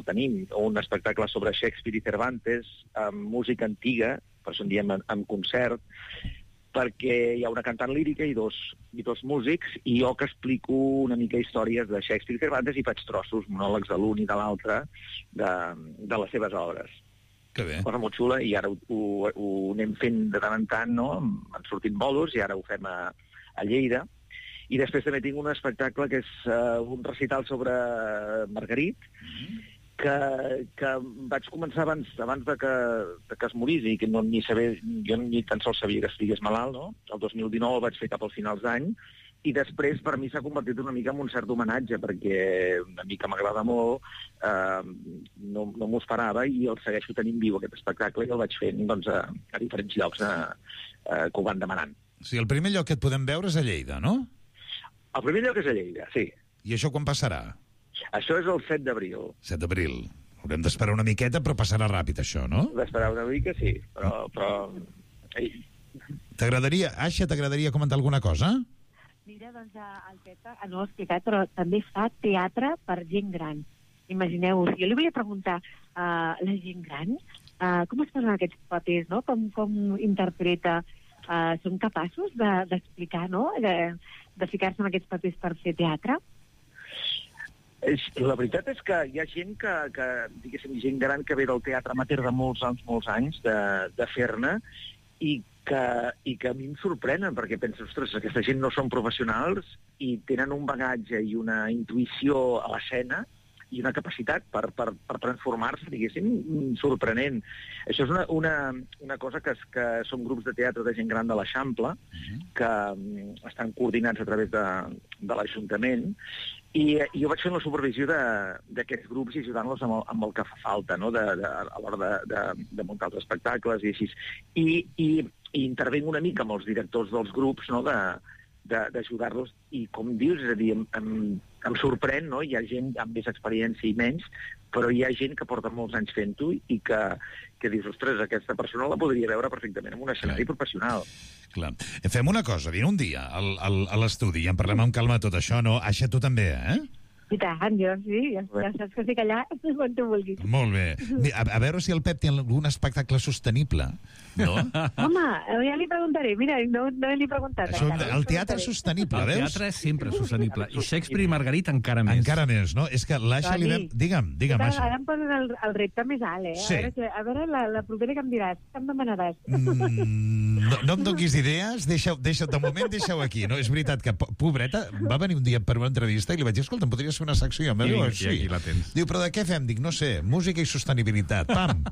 tenim un espectacle sobre Shakespeare i Cervantes, amb música antiga, per això en diem en concert, perquè hi ha una cantant lírica i dos músics, i jo que explico una mica històries de Shakespeare i Cervantes i faig trossos, monòlegs de l'un i de l'altre, de les seves obres. Que bé. Cosa molt xula, i ara ho anem fent de tant en tant, no? Han sortit bòlos, i ara ho fem a Lleida. I després també tinc un espectacle que és un recital sobre Margarit, que vaig començar abans de que es morís, i que jo ni tan sols sabia que estigués malalt, no? El 2019 el vaig fer cap als finals d'any, i després per mi s'ha convertit una mica en un cert homenatge, perquè una mica m'agrada molt, no m'ho esperava, i el segueixo tenint viu, aquest espectacle, i el vaig fent a diferents llocs que ho van demanant. Sí, el primer lloc que et podem veure és a Lleida, no? El primer lloc és a Lleida, sí. I això quan passarà? Això és el 7 d'abril. 7 d'abril. Haurem d'esperar una miqueta, però passarà ràpid, això, no? D'esperar una mica, sí, però... Aixa, t'agradaria comentar alguna cosa? Mira, doncs el Pep no ho ha explicat, però també fa teatre per gent gran. Imagineu-vos, jo li volia preguntar a la gent gran com es posen aquests papers, no? Com interpreta? Són capaços d'explicar, no? De ficar-se en aquests papers per fer teatre? La veritat és que hi ha gent que diguéssim, gent gran que ve del teatre amateur de molts anys de fer-ne, i que a mi em sorprenen, perquè penso, ostres, aquesta gent no són professionals i tenen un bagatge i una intuïció a l'escena i una capacitat per transformar-se, diguéssim, sorprenent. Això és una cosa que són grups de teatre de gent gran de l'Eixample, que estan coordinats a través de l'Ajuntament, i jo vaig fent la supervisió d'aquests grups i ajudant-los amb el que fa falta, no? A l'hora de muntar els espectacles i així. I intervenc una mica amb els directors dels grups, no? d'ajudar-los, i com dius, és a dir, em sorprèn, no? Hi ha gent amb més experiència i menys, però hi ha gent que porta molts anys fent-ho i que dius, ostres, aquesta persona la podria veure perfectament en un escenari professional. Clar. Fem una cosa, vine un dia a l'estudi i en parlem amb calma de tot això, no? Aixa, tu també, I tant, jo sí, ja saps que estic allà quan tu vulguis. Molt bé. A veure si el Pep té algun espectacle sostenible, no? Home, ja li preguntaré, mira, no li he preguntat. El teatre és sostenible, veus? El teatre és sempre sostenible, i Shakespeare i Margarita encara més. Encara més, no? És que l'Aixa li vam... Digue'm, Aixa. Ara em poses el repte més alt, Sí. A veure la propera que em diràs, que em demanaràs. No em donis idees, de moment deixa-ho aquí, no? És veritat que, pobreta, va venir un dia per una entrevista i li vaig dir, escolta, em podries fer una secció? I aquí la tens. Diu, però de què fem? Dic, no sé, música i sostenibilitat. Pam!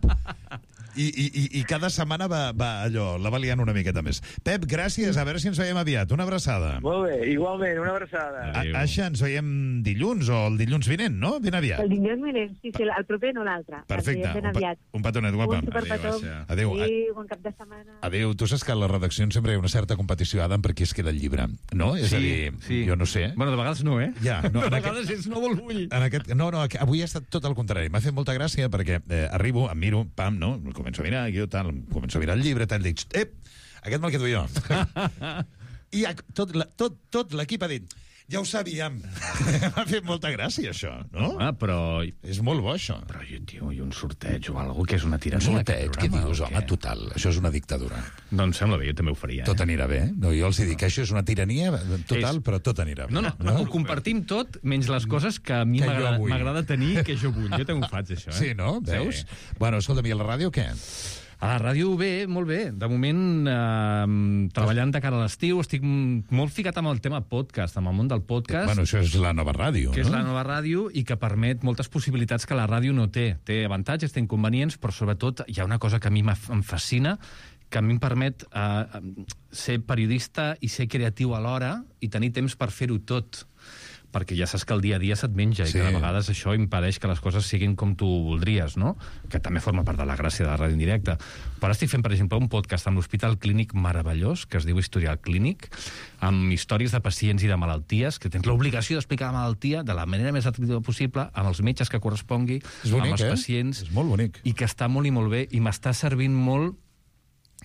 I cada setmana va allò, la va liant una miqueta més. Pep, gràcies, a veure si ens veiem aviat. Una abraçada. Molt bé, igualment, una abraçada. Aixa, ens veiem dilluns o el dilluns vinent, no? Ben aviat. El dilluns vinent, sí, el proper no l'altre. Perfecte. Ben aviat. Un petonet, guapa. Un superpetó. Adéu. Bon cap de setmana. Adéu. Tu saps que a les redaccions sempre hi ha una certa competició, Adam, per qui es queda el llibre, no? És a dir, jo no sé. Bueno, de vegades no, Ja, no, de vegades és no vol vull. No, avui ha estat tot el contrari. M'ha fet molta gràcia perquè arribo, em miro, pam, no? Començo a mirar, començo a mirar el llibre, tal, dic, aquest me'l quedo jo. I tot l'equip ha dit, ja ho sabíem. M'ha fet molta gràcia, això, no? Però... És molt bo, això. Però, tio, i un sorteig o alguna cosa que és una tirania. Un sorteig, què dius, home, total. Això és una dictadura. Doncs sembla bé, jo també ho faria. Tot anirà bé. No, jo els dic que això és una tirania total, però tot anirà bé. No, ho compartim tot, menys les coses que a mi m'agrada tenir, que jo vull. Jo també ho faig, això. Sí, no? Veus? Bueno, escolta'm, i a la ràdio què? A la ràdio bé, molt bé. De moment, treballant de cara a l'estiu, estic molt ficat amb el tema podcast, amb el món del podcast. Bueno, això és la nova ràdio, no? Que és la nova ràdio i que permet moltes possibilitats que la ràdio no té. Té avantatges, té inconvenients, però sobretot hi ha una cosa que a mi em fascina, que a mi em permet ser periodista i ser creatiu alhora i tenir temps per fer-ho tot. Perquè ja saps que el dia a dia se't menja i que de vegades això impedeix que les coses siguin com tu voldries, no? Que també forma part de la gràcia de la ràdio en directe. Però ara estic fent, per exemple, un podcast amb l'Hospital Clínic meravellós, que es diu Historial Clínic, amb històries de pacients i de malalties, que tens l'obligació d'explicar la malaltia de la manera més atractiva possible, amb els metges que correspongui, amb els pacients. És molt bonic. I que està molt i molt bé, i m'està servint molt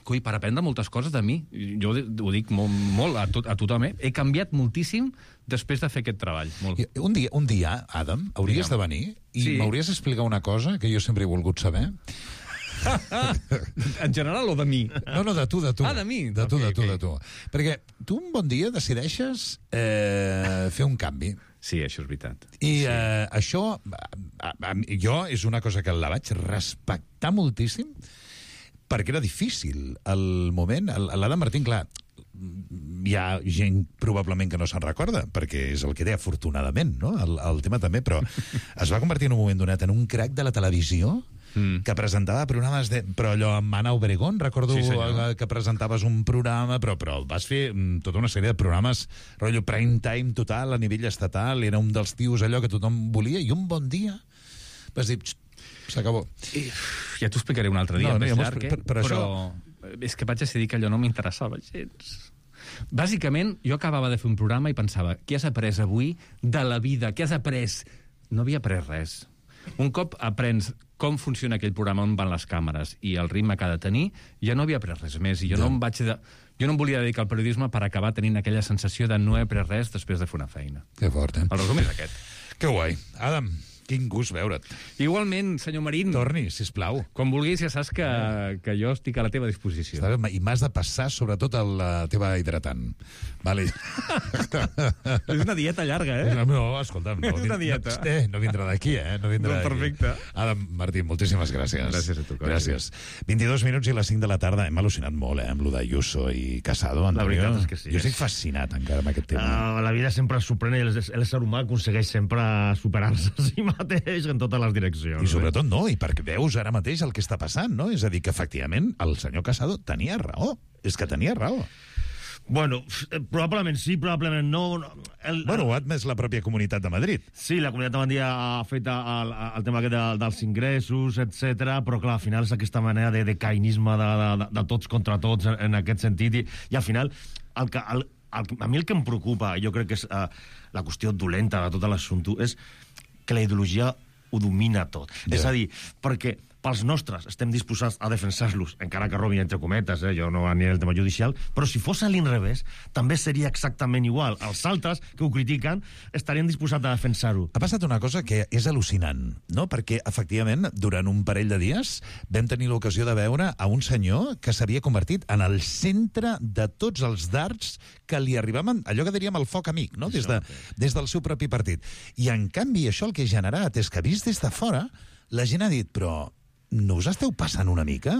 per aprendre moltes coses de mi. Jo ho dic molt a tothom. He canviat moltíssim després de fer aquest treball. Molt. Un dia, Adam, hauries de venir i m'hauries d'explicar una cosa que jo sempre he volgut saber. En general o de mi? No, de tu. Ah, de mi? De tu. Perquè tu un bon dia decideixes fer un canvi. Sí, això és veritat. I això, jo, és una cosa que la vaig respectar moltíssim, perquè era difícil. El moment, l'Adam Martín, clar, hi ha gent probablement que no se'n recorda, perquè és el que té, afortunadament, no? El tema també, però es va convertir en un moment donat en un crac de la televisió que presentava programes però allò amb Ana Obregón, recordo que presentaves un programa, però vas fer tota una sèrie de programes rotllo prime time total a nivell estatal, era un dels tios allò que tothom volia, i un bon dia vas dir, s'acabó. Ja t'ho explicaré un altre dia, més llarg, però és que vaig decidir que allò no m'interessava gens. Bàsicament, jo acabava de fer un programa i pensava, què has après avui de la vida? Què has après? No havia après res. Un cop aprens com funciona aquell programa, on van les càmeres i el ritme que ha de tenir, ja no havia après res més. I jo no em volia dedicar al periodisme per acabar tenint aquella sensació de no he après res després de fer una feina. Que fort, El resum és aquest. Que guai. Adam, quin gust veure't. Igualment, senyor Marín. Torni, sisplau. Quan vulguis, ja saps que jo estic a la teva disposició. I m'has de passar, sobretot, la teva hidratant. Vale. És una dieta llarga, No, escolta'm. És una dieta. No vindrà d'aquí, No vindrà d'aquí. Perfecte. Adam Martín, moltíssimes gràcies. Gràcies a tu. Gràcies. 22 minuts i les 5 de la tarda. Hem al·lucinat molt, amb lo d'Ayuso i Casado. La veritat és que sí. Jo estic fascinat encara amb aquest tema. La vida sempre sorprèn i l'ésser humà aconsegueix sempre superar-se a si mateix en totes les direccions. I sobretot no, i perquè veus ara mateix el que està passant, no? És a dir, que efectivament el senyor Casado tenia raó. És que tenia raó. Bueno, probablement sí, probablement no. Bueno, ho ha admès la pròpia Comunitat de Madrid. Sí, la Comunitat de Madrid ha fet el tema dels ingressos, etc. Però clar, al final és aquesta manera de cainisme de tots contra tots en aquest sentit, i al final a mi el que em preocupa, jo crec que és la qüestió dolenta de tot l'assumpte, és que la ideologia ho domina tot. És a dir, perquè pels nostres estem disposats a defensar-los, encara que robin entre cometes, jo no aniré al tema judicial, però si fos a l'inrevés, també seria exactament igual. Els altres que ho critiquen estarien disposats a defensar-ho. Ha passat una cosa que és al·lucinant, no? Perquè, efectivament, durant un parell de dies vam tenir l'ocasió de veure a un senyor que s'havia convertit en el centre de tots els dards que li arribaven, allò que diríem el foc amic, no? Des del seu propi partit. I, en canvi, això el que ha generat és que, vist des de fora, la gent ha dit, però no us esteu passant una mica?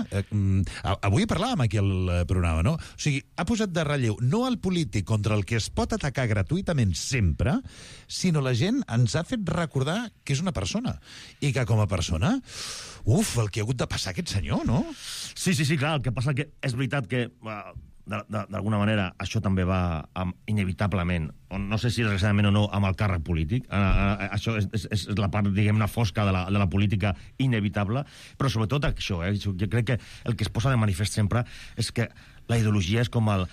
Avui parlàvem aquí al programa, no? O sigui, ha posat de relleu no el polític contra el que es pot atacar gratuïtament sempre, sinó la gent ens ha fet recordar que és una persona. I que com a persona, el que ha hagut de passar aquest senyor, no? Sí, clar, el que passa que és veritat que d'alguna manera això també va inevitablement, no sé si desgraciadament o no, amb el càrrec polític. Això és la part, diguem-ne, fosca de la política inevitable, però sobretot això, jo crec que el que es posa de manifest sempre és que la ideologia és com el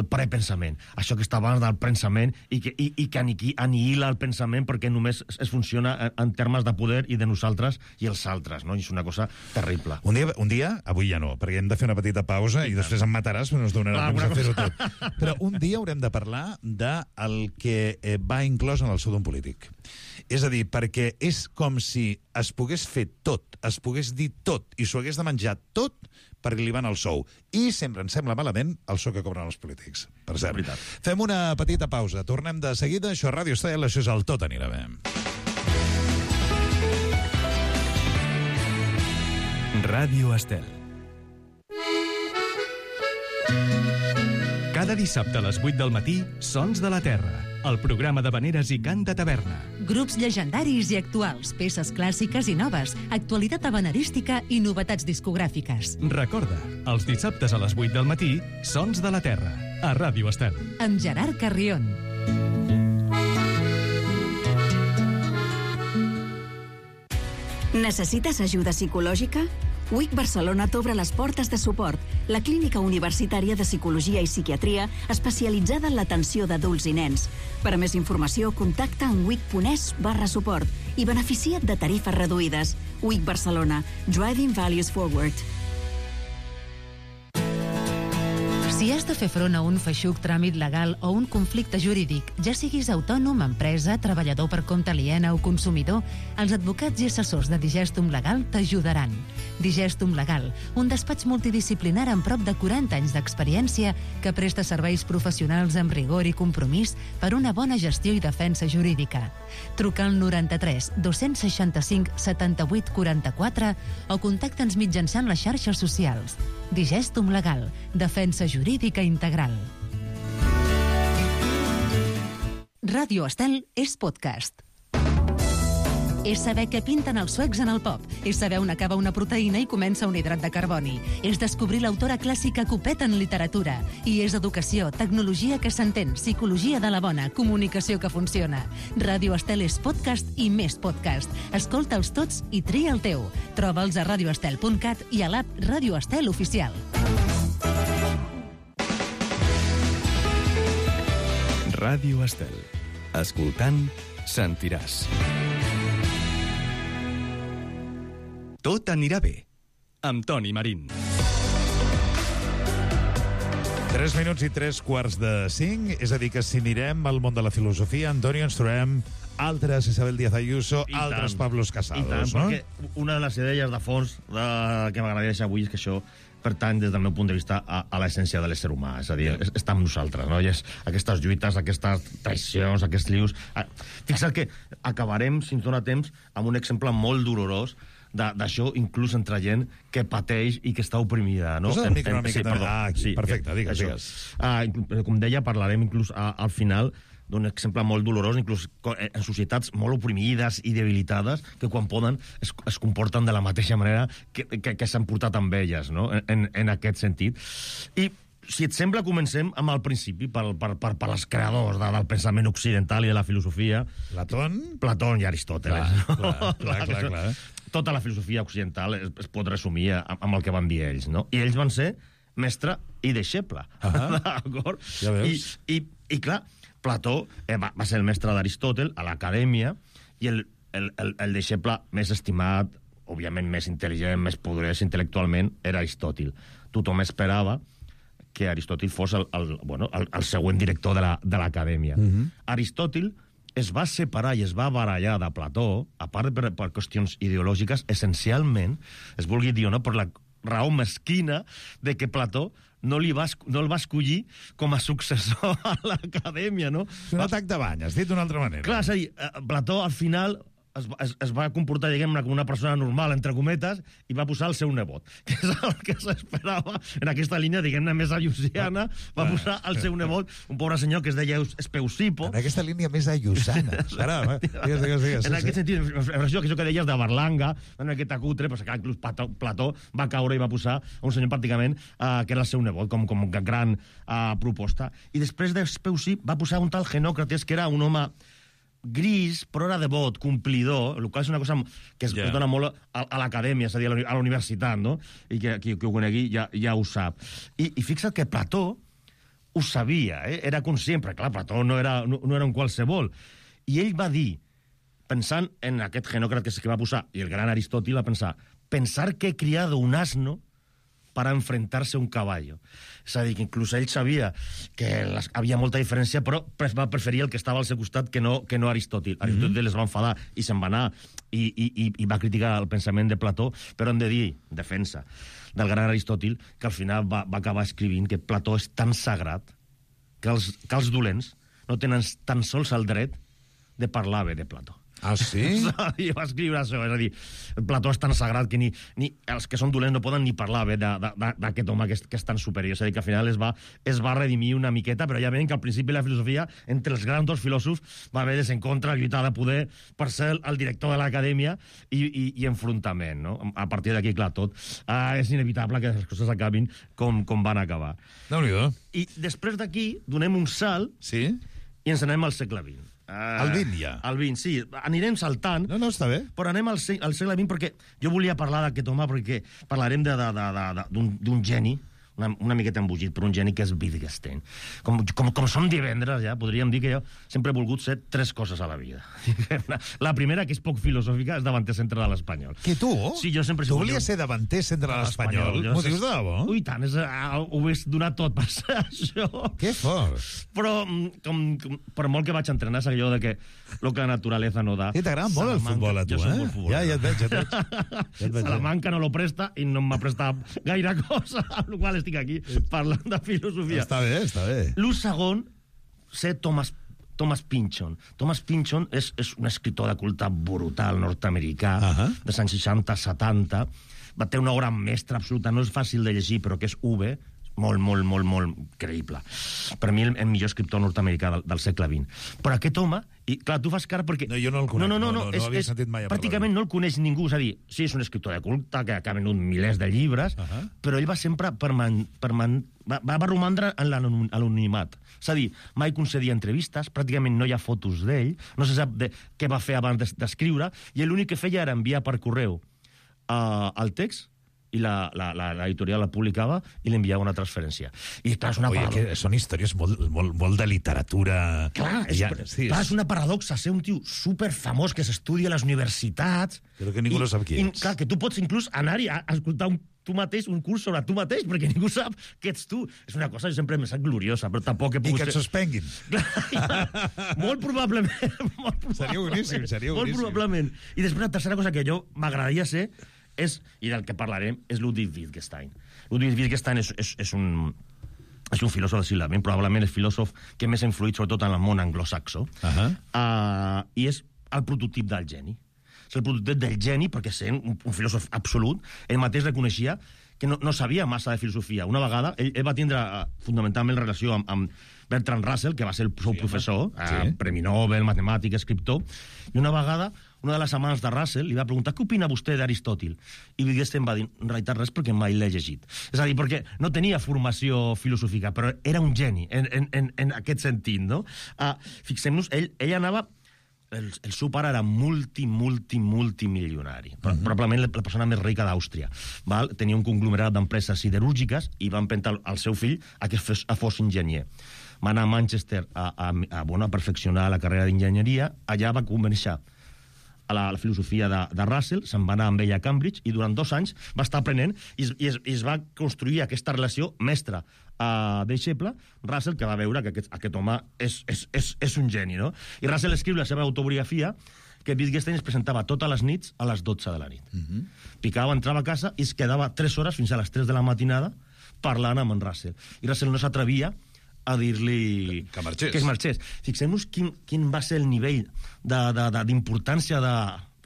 prepensament, això que està abans del pensament i que anihila el pensament perquè només es funciona en termes de poder i de nosaltres i els altres, no? I és una cosa terrible. Un dia, avui ja no, perquè hem de fer una petita pausa i després em mataràs, però no es donarà temps de fer-ho tot. Però un dia haurem de parlar del que va inclòs en el sou d'un polític. És a dir, perquè és com si es pogués fer tot, es pogués dir tot i s'ho hagués de menjar tot perquè li van al sou. I sempre ens sembla malament el sou que cobren els polítics. Per cert, fem una petita pausa. Tornem de seguida. Això és Ràdio Estel, això és el Tot Anirà Bé. Ràdio Estel. Cada dissabte a les 8 del matí, Sons de la Terra, el programa d'havaneres i cant de taverna. Grups llegendaris i actuals, peces clàssiques i noves, actualitat havanerística i novetats discogràfiques. Recorda, els dissabtes a les 8 del matí, Sons de la Terra, a Ràdio Estel. Amb Gerard Carrion. Necessites ajuda psicològica? WIC Barcelona t'obre les portes de suport, la clínica universitària de psicologia i psiquiatria especialitzada en l'atenció d'adults i nens. Per a més informació, contacta en wic.es/suport i beneficia't de tarifes reduïdes. WIC Barcelona. Driving Values Forward. Si has de fer front a un feixuc tràmit legal o un conflicte jurídic, ja siguis autònom, empresa, treballador per compte aliena o consumidor, els advocats i assessors de Digestum Legal t'ajudaran. Digestum Legal, un despatx multidisciplinar amb prop de 40 anys d'experiència que presta serveis professionals amb rigor i compromís per una bona gestió i defensa jurídica. Truca al 93 265 78 44 o contacta'ns mitjançant les xarxes socials. Digestum Legal, defensa jurídica integral. Ràdio Estel és podcast. És saber què pinten els suecs en el pop. És saber on acaba una proteïna i comença un hidrat de carboni. És descobrir l'autora clàssica Copet en literatura. I és educació, tecnologia que s'entén, psicologia de la bona, comunicació que funciona. Ràdio Estel és podcast i més podcast. Escolta'ls tots i tria el teu. Troba'ls a radioestel.cat i a l'app Ràdio Estel Oficial. Ràdio Estel. Escoltant, sentiràs. Tot anirà bé, amb Toni Marín. 3 minuts i 3:45, és a dir, que si anirem al món de la filosofia, Antonio, ens trobem altres Isabel Díaz Ayuso, altres Pablos Casados, no? Perquè una de les idees de fons que m'agradaria deixar avui és que això pertany, des del meu punt de vista, a l'essència de l'ésser humà. És a dir, està amb nosaltres, no? I és aquestes lluites, aquestes traïcions, aquests lius... Fixa't que acabarem, si ens dona temps, amb un exemple molt dolorós d'això, inclús entre gent que pateix i que està oprimida, no? Posa el micro una mica també. Perfecte, digues. Com deia, parlarem inclús al final d'un exemple molt dolorós, inclús en societats molt oprimides i debilitades, que quan poden es comporten de la mateixa manera que s'han portat amb elles, no? En aquest sentit. I si et sembla, comencem amb el principi, per als creadors del pensament occidental i de la filosofia. Platón i Aristòteles. Clar. Tota la filosofia occidental es pot resumir amb el que van dir ells, no? I ells van ser mestre i deixeble. D'acord? Ja veus. I clar, Plató va ser el mestre d'Aristòtel a l'acadèmia i el deixeble més estimat, òbviament més intel·ligent, més poderós intel·lectualment, era Aristòtil. Tothom esperava que Aristòtil fos el següent director de l'acadèmia. Aristòtil es va separar i es va barallar de Plató, a part per qüestions ideològiques, essencialment, es vulgui dir o no, per la raó mesquina de que Plató no el va escollir com a successor a l'acadèmia, no? És un atac de bany, has dit d'una altra manera. Clar, és a dir, Plató al final es va comportar, diguem-ne, com una persona normal, entre cometes, i va posar el seu nebot, que és el que s'esperava en aquesta línia, diguem-ne, més ayusiana, va posar el seu nebot, un pobre senyor que es deia Espeusipo. En aquesta línia més ayusana. Digues. En aquest sentit, això que deies de Berlanga, en aquest acutre, però que inclús Plató va caure i va posar un senyor pràcticament que era el seu nebot, com gran proposta. I després d'Espeusipo va posar un tal Genòcrates, que era un home gris, però era devot, complidor, el qual és una cosa que es dona molt a l'acadèmia, és a dir, a la universitat, no? I que qui ho conegui ja ho sap. I fixa't que Plató ho sabia, era conscient, perquè clar, Plató no era un qualsevol. I ell va dir, pensant en aquest Genòcrates que va posar, i el gran Aristòtil va pensar que he criado un asno para enfrentarse a un caballo. És a dir, que inclús ell sabia que havia molta diferència, però va preferir el que estava al seu costat que no Aristòtil. Aristòtil es va enfadar i se'n va anar i va criticar el pensament de Plató, però hem de dir, defensa del gran Aristòtil, que al final va acabar escrivint que Plató és tan sagrat que els dolents no tenen tan sols el dret de parlar bé de Plató. Ah, sí? I va escriure això, és a dir, Plató és tan sagrat que ni els que són dolents no poden ni parlar bé d'aquest home que és tan superior. És a dir, que al final es va redimir una miqueta, però ja veiem que al principi la filosofia, entre els grans dos filòsofs, va haver desencontre, lluitar de poder per ser el director de l'acadèmia i enfrontament, no? A partir d'aquí, clar, tot és inevitable que les coses acabin com van acabar. Déu-n'hi-do. I després d'aquí donem un salt i ens anem al segle XX. El 20 ja. El 20, sí. Anirem saltant. No, està bé. Però anem al segle XX perquè jo volia parlar d'aquest home perquè parlarem d'un geni, una miqueta embogit, però un geni que és Wittgenstein. Com som divendres, ja, podríem dir que jo sempre he volgut ser 3 coses a la vida. La primera, que és poc filosòfica, és davanter centre de l'Espanyol. Que tu? Sí, jo sempre... Tu volies ser davanter centre de l'Espanyol? M'ho dius de debò? Ui, tant, ho he donat tot per ser això. Que fort. Però, per molt que vaig entrenar, és allò de que lo que la naturaleza no da... Sí, t'agrada molt el futbol a tu, Ja et veig. Salamanca no lo presta i no m'ha prestat gaire cosa, amb la qual estic aquí parlant de filosofia. Està bé, està bé. L'ús segon, ser Thomas Pynchon. Thomas Pynchon és un escriptor de culte brutal nord-americà, dels anys 60-70. Va ter una obra mestra absoluta, no és fàcil de llegir, però que és molt creïble. Per mi, el millor escriptor nord-americà del segle XX. Però aquest home, i clar, tu fas cara perquè... No, jo no el conec, no havia sentit mai a parlar. Pràcticament no el coneix ningú, és a dir, sí, és un escriptor de culte, que ha venut milers de llibres, però ell va sempre va romandre en l'anonimat. És a dir, mai concedia entrevistes, pràcticament no hi ha fotos d'ell, no se sap què va fer abans d'escriure, i l'únic que feia era enviar per correu el text, i l'editorial la publicava i li enviava una transferència. I clar, és una paradoxa. Que són històries molt de literatura... Clar, és una paradoxa ser un tio superfamós que s'estudia a les universitats... Però que ningú no sap qui és. Clar, que tu pots inclús anar-hi a escoltar tu mateix, un curs sobre tu mateix, perquè ningú sap que ets tu. És una cosa que sempre m'ha estat gloriosa, però tampoc he pogut... I que et suspenguin. Molt probablement. Seria boníssim, Molt probablement. I després la tercera cosa que jo m'agradaria ser i del que parlarem, és Ludwig Wittgenstein. Ludwig Wittgenstein és un filòsof del segle XX, probablement el filòsof que més ha influït sobretot en el món anglosaxó, i és el prototip del geni. És el prototip del geni perquè sent un filòsof absolut, ell mateix reconeixia que no sabia massa de filosofia. Una vegada, ell va tindre fundamentalment relació amb Bertrand Russell, que va ser el seu professor, premi Nobel, matemàtic, escriptor, i una vegada una de les amants de Russell li va preguntar què opina vostè d'Aristòtil? I Wittgenstein va dir, en realitat res perquè mai l'he llegit. És a dir, perquè no tenia formació filosòfica, però era un geni en aquest sentit, no? Fixem-nos, ell anava el seu pare era multimilionari, probablement la persona més rica d'Àustria. Tenia un conglomerat d'empreses siderúrgiques i va empènyer el seu fill a que fos enginyer. Va anar a Manchester a perfeccionar la carrera d'enginyeria. Allà va començar a la filosofia de Russell, se'n va anar amb ell a Cambridge i durant 2 anys va estar aprenent i es va construir aquesta relació mestre-deixeble. Russell, que va veure que aquest home és un geni, no? I Russell escriu la seva autobiografia que Wittgenstein es presentava totes les nits a les 12 de la nit. Picava, entrava a casa i es quedava 3 hores fins a les 3 de la matinada parlant amb en Russell. I Russell no s'atrevia a dir-li que es marxés. Fixem-nos quin va ser el nivell d'importància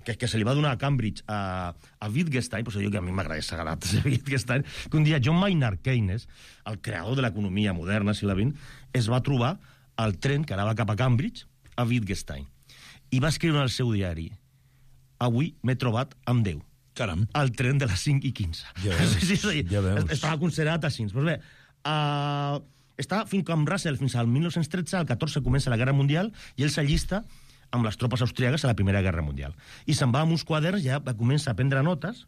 que se li va donar a Cambridge a Wittgenstein, pues jo que a mi m'agrada sagrat Wittgenstein, que un dia John Maynard Keynes, el creador de l'economia moderna, segle XX, es va trobar al tren que anava cap a Cambridge a Wittgenstein i va escriure al seu diari: avui m'he trobat amb Déu. Caram. Al tren de les 5:15. Ja veus. Estava considerat així. Pues bé, està fins com Russell, fins al 1913, al 14 comença la Guerra Mundial, i ell s'allista amb les tropes austríaques a la Primera Guerra Mundial. I se'n va amb uns quaderns, ja va començar a prendre notes,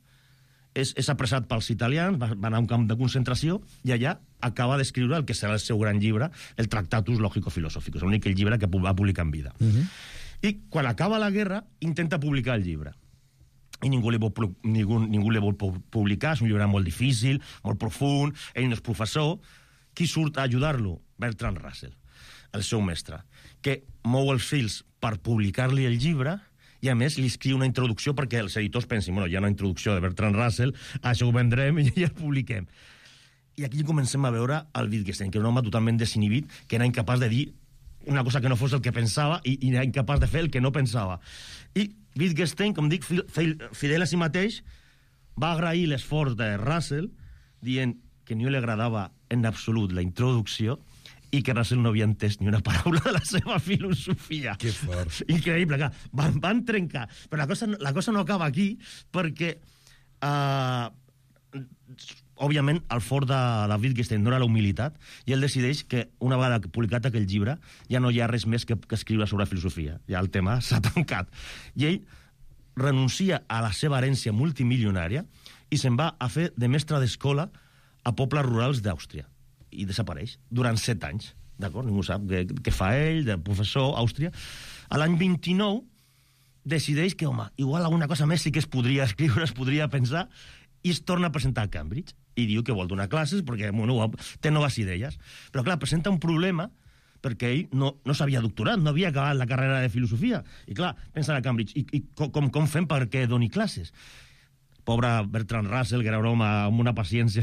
és apressat pels italians, va anar a un camp de concentració, i allà acaba d'escriure el que serà el seu gran llibre, el Tractatus Logico-Filosóficus, l'únic llibre que va publicar en vida. I quan acaba la guerra, intenta publicar el llibre. I ningú li vol publicar, és un llibre molt difícil, molt profund, ell no és professor. Qui surt a ajudar-lo? Bertrand Russell, el seu mestre, que mou els fils per publicar-li el llibre i, a més, li escriu una introducció perquè els editors pensin, hi ha una introducció de Bertrand Russell, això ho vendrem i ja el publiquem. I aquí comencem a veure el Wittgenstein, que era un home totalment desinhibit, que era incapaç de dir una cosa que no fos el que pensava i era incapaç de fer el que no pensava. I Wittgenstein, com dic, fidel a si mateix, va agrair l'esforç de Russell dient que no li agradava en absolut la introducció i que Russell no havia entès ni una paraula de la seva filosofia. Que fort. Increïble, clar. Van trencar. Però la cosa no acaba aquí, perquè òbviament el fort de Wittgenstein no era la humilitat, i ell decideix que una vegada publicat aquell llibre ja no hi ha res més que escriure sobre filosofia. Ja el tema s'ha tancat. I ell renuncia a la seva herència multimilionària i se'n va a fer de mestre d'escola a pobles rurals d'Àustria. I desapareix durant 7 anys. D'acord? Ningú sap què fa ell, de professor, a Àustria. A l'any 29 decideix que, home, igual alguna cosa més sí que es podria escriure, es podria pensar, i es torna a presentar a Cambridge. I diu que vol donar classes perquè té noves idees. Però, clar, presenta un problema perquè ell no s'havia doctorat, no havia acabat la carrera de filosofia. I, clar, pensa a Cambridge, i com fem perquè doni classes? Pobre Bertrand Russell, que era un home amb una paciència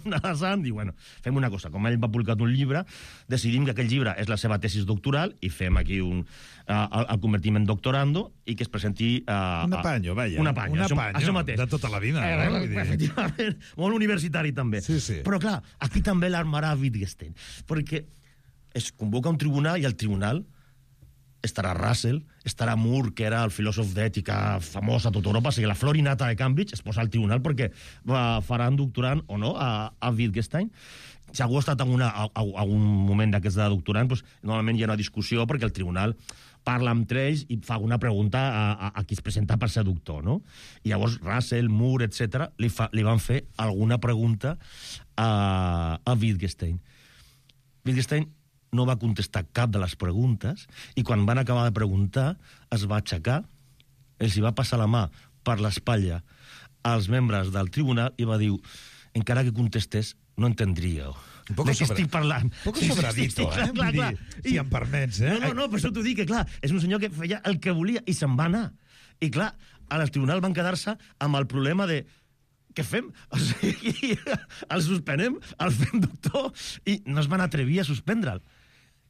nadassant, diu, bueno, fem una cosa, com ell va publicar un llibre, decidim que aquell llibre és la seva tesis doctoral i fem aquí el convertim en doctorando i que es presenti... Un apanyo, vaja. Un apanyo, això mateix. De tota la vida. Efectivament, molt universitari també. Sí. Però clar, aquí també l'armarà Wittgenstein, perquè es convoca un tribunal i el tribunal estarà Russell, estarà Moore, que era el filòsof d'ètica famós a tota Europa, o sigui, la flor innata de Cambridge es posa al tribunal perquè faran doctorant o no a Wittgenstein. Si algú ha estat en un moment d'aquests de doctorant, doncs, normalment hi ha una discussió perquè el tribunal parla entre ells i fa una pregunta a qui es presenta per ser doctor, no? I llavors Russell, Moore, etc. li van fer alguna pregunta a Wittgenstein. Wittgenstein no va contestar cap de les preguntes i quan van acabar de preguntar es va aixecar, els hi va passar la mà per l'espatlla als membres del tribunal i va dir, encara que contestés, no entendríeu. De què estic parlant? Poco sobradito, clar. Si em permets, No, per això t'ho dic, que clar, és un senyor que feia el que volia i se'n va anar. I clar, al tribunal van quedar-se amb el problema de què fem? O sigui, el suspenem, el fem doctor i no es van atrevir a suspendre'l.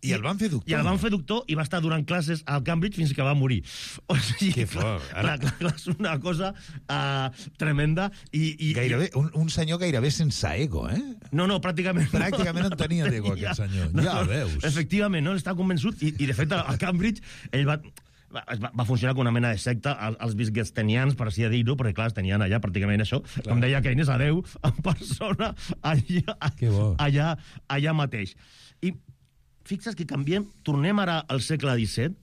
I el van fer doctor. I el van fer doctor i va estar donant classes a Cambridge fins que va morir. O sigui, que fort. Clar, és una cosa tremenda. I gairebé, un senyor gairebé sense ego, eh? No, pràcticament. Pràcticament no tenia ego, aquest senyor. Ja el veus. Efectivament, no? Estava convençut. I de fet, a Cambridge, ell va funcionar com una mena de secta als wittgensteinians, per així dir-ho, perquè clar, tenien allà pràcticament això, com deia Keynes, a Déu en persona allà mateix. I fixa't que canviem, tornem ara al segle XVII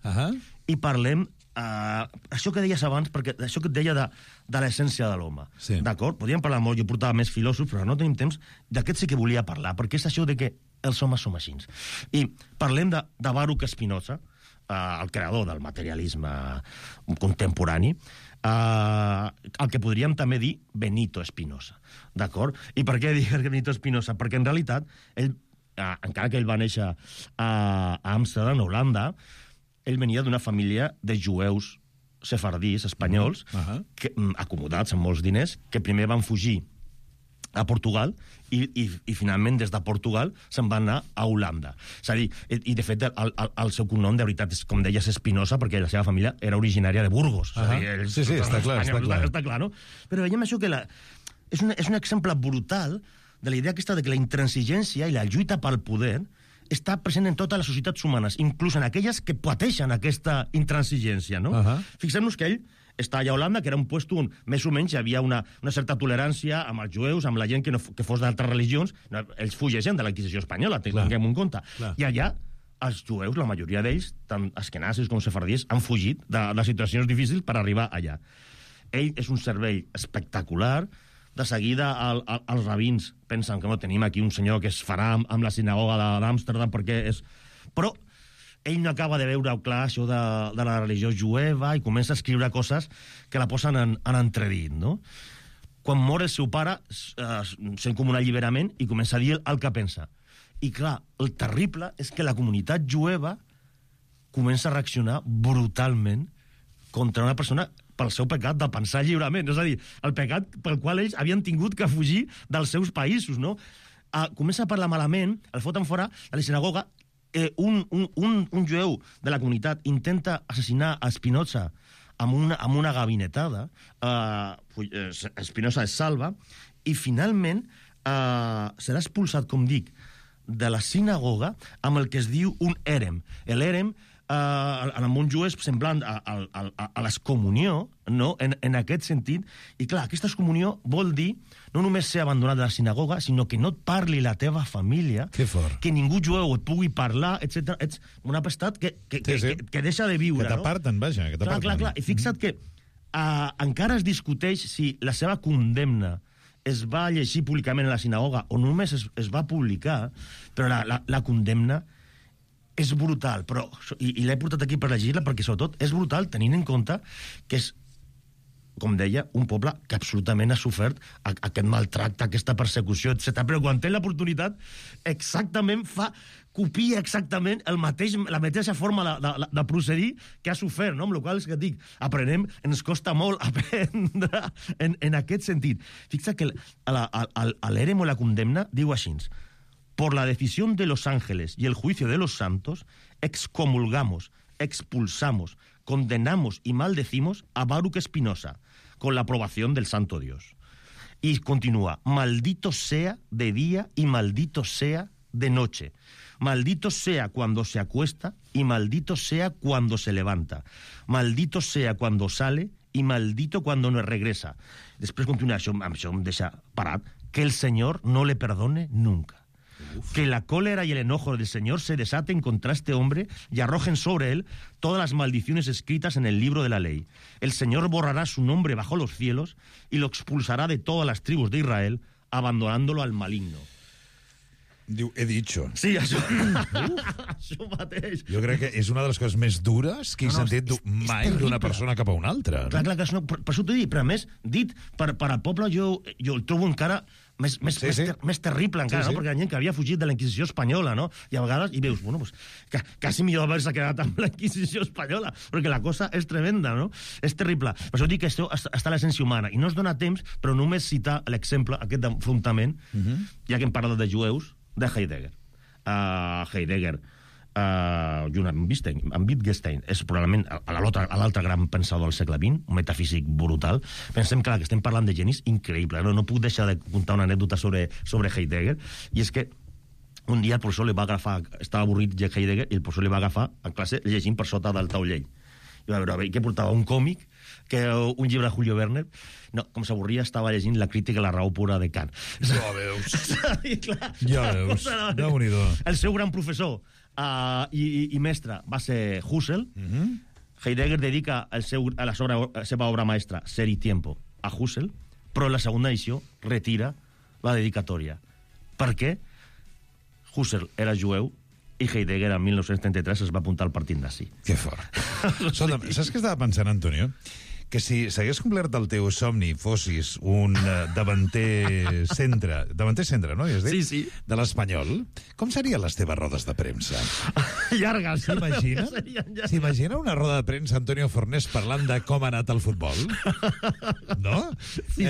i parlem això que deies abans, perquè això que et deia de l'essència de l'home. Sí. D'acord? Podríem parlar molt, jo portava més filòsofs, però no tenim temps. D'aquest sí que volia parlar, perquè és això de que els homes som així. I parlem de Baruch Spinoza, el creador del materialisme contemporani, el que podríem també dir Benito Spinoza. D'acord? I per què dic Benito Spinoza? Perquè en realitat, ell, encara que ell va néixer a Amsterdam, Holanda, ell venia d'una família de jueus sefardís, espanyols, acomodats amb molts diners, que primer van fugir a Portugal i finalment des de Portugal se'n van anar a Holanda. És a dir, i de fet el seu cognom de veritat és, com deies, Espinosa, perquè la seva família era originària de Burgos. És a dir, sí, està clar. Està clar, no? Però veiem això que és un exemple brutal de la idea aquesta de que la intransigència i la lluita pel poder està present en totes les societats humanes, inclús en aquelles que pateixen aquesta intransigència, no? Fixem-nos que ell està allà a Holanda, que era un lloc on més o menys hi havia una certa tolerància amb els jueus, amb la gent que fos d'altres religions. No, ells fugeixen de la Inquisició espanyola, tinguem en compte. I allà els jueus, la majoria d'ells, tant askenazis com sefardís, han fugit de situacions difícils per arribar allà. Ell és un cervell espectacular. De seguida els rabins pensen que no tenim aquí un senyor que es farà amb la sinagoga d'Amsterdam perquè és... Però ell no acaba de veure clar això de la religió jueva i comença a escriure coses que la posen en entredit, no? Quan mor el seu pare, sent com un alliberament i comença a dir el que pensa. I clar, el terrible és que la comunitat jueva comença a reaccionar brutalment contra una persona pel seu pecat de pensar lliurement. És a dir, el pecat pel qual ells havien tingut que fugir dels seus països, no? Comença a parlar malament, el foten fora de la sinagoga, un jueu de la comunitat intenta assassinar a Spinoza amb una gabinetada, Spinoza es salva, i finalment serà expulsat, com dic, de la sinagoga amb el que es diu un érem. L'érem en el món jueu és semblant a l'excomunió, no? En aquest sentit. I clar, aquesta excomunió vol dir no només ser abandonat de la sinagoga, sinó que no et parli la teva família, que ningú jueu et pugui parlar, etc. Ets un apestat que deixa de viure. Que t'aparten, vaja. Clar. I fixa't que encara es discuteix si la seva condemna es va llegir públicament a la sinagoga o només es va publicar, però la condemna és brutal, però, i l'he portat aquí per llegir-la perquè sobretot és brutal tenint en compte que és, com deia, un poble que absolutament ha sofert aquest maltracte, aquesta persecució, etc. Però quan té l'oportunitat exactament copia exactament la mateixa forma de procedir que ha sofert, no? Amb la qual cosa és que dic, ens costa molt aprendre en aquest sentit. Fixa que l'érem o la condemna diu així: por la decisión de los ángeles y el juicio de los santos, excomulgamos, expulsamos, condenamos y maldecimos a Baruch Spinoza, con la aprobación del Santo Dios. Y continúa: maldito sea de día y maldito sea de noche. Maldito sea cuando se acuesta y maldito sea cuando se levanta. Maldito sea cuando sale y maldito cuando no regresa. Després continua això em deixa parat. Que el Señor no le perdone nunca. Que la cólera y el enojo del Señor se desaten contra este hombre y arrojen sobre él todas las maldiciones escritas en el libro de la ley. El Señor borrará su nombre bajo los cielos y lo expulsará de todas las tribus de Israel, abandonándolo al maligno. Diu, he dicho. Sí, això mateix. Jo crec que és una de les coses més dures que he sentit mai d'una persona cap a una altra. Clar, per això t'ho dic, però a més, dit per al poble, jo el trobo encara més terrible encara, no? Perquè hi ha gent que havia fugit de la Inquisició espanyola, no? I a vegades, i veus, bueno, pues, quasi millor haver-se quedat amb la Inquisició espanyola, perquè la cosa és tremenda, no? És terrible. Per això dic que això està a l'essència humana. I no es dona temps, però només citar l'exemple, aquest enfrontament, ja que hem parlat de jueus, de Heidegger. Heidegger, junt amb Wittgenstein, és probablement l'altre gran pensador del segle XX, un metafísic brutal. Pensem que estem parlant de genis increïble. No puc deixar de contar una anècdota sobre Heidegger, i és que un dia el professor li va agafar, estava avorrit de Heidegger, i el professor li va agafar a classe llegint per sota del taulell. I va veure què portava, un còmic, que un llibre de Julio Verne. No, com s'avorria, estava llegint la crítica a la raó pura de Kant. Ja veus. Ja veus. Déu-n'hi-do. El seu gran professor i mestre va ser Husserl. Heidegger dedica a la seva obra maestra Ser y Tiempo a Husserl, però en la segona edició retira la dedicatòria. Per què? Husserl era jueu i Heidegger en 1933 es va apuntar al partit nazi. Que fort. Escolta'm, saps què estava pensant, Antonio? Que si s'hagués complert el teu somni, fossis un davanter centre, no? Sí. De l'Espanyol, com serien les teves rodes de premsa? Llargues. S'imagina una roda de premsa Antonio Fornés parlant de com ha anat el futbol? No? Sí.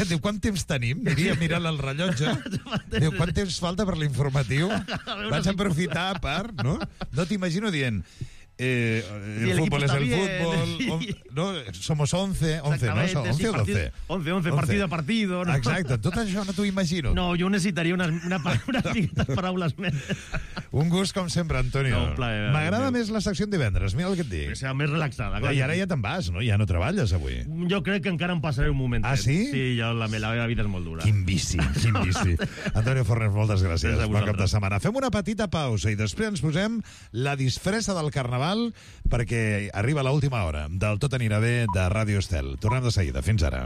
Diu, quant temps tenim? Diria mirant el rellotge. Diu, quant temps falta per l'informatiu? Vaig aprofitar per... No t'imagino dient... el fútbol es el fútbol, no, somos 11, ¿no? 11 o 12. 11, partido a partido. ¿No? Exacte, tot això no t'ho imagino. No, jo necessitaria unes miquetes paraules més. Un gust, com sempre, Antonio. No, m'agrada més la secció en divendres, mira el que et dic. Que sigui més relaxada. I ara ja te'n vas, no? Ja no treballes avui. Jo crec que encara em passaré un moment. Ah, sí? Sí, la meva vida és molt dura. Quin vici. Antonio Fornés, moltes gràcies. Bon cap de setmana. Fem una petita pausa i després ens posem la disfressa del Carnaval perquè arriba l'última hora del Tot anirà bé de Ràdio Estel. Tornem de seguida. Fins ara.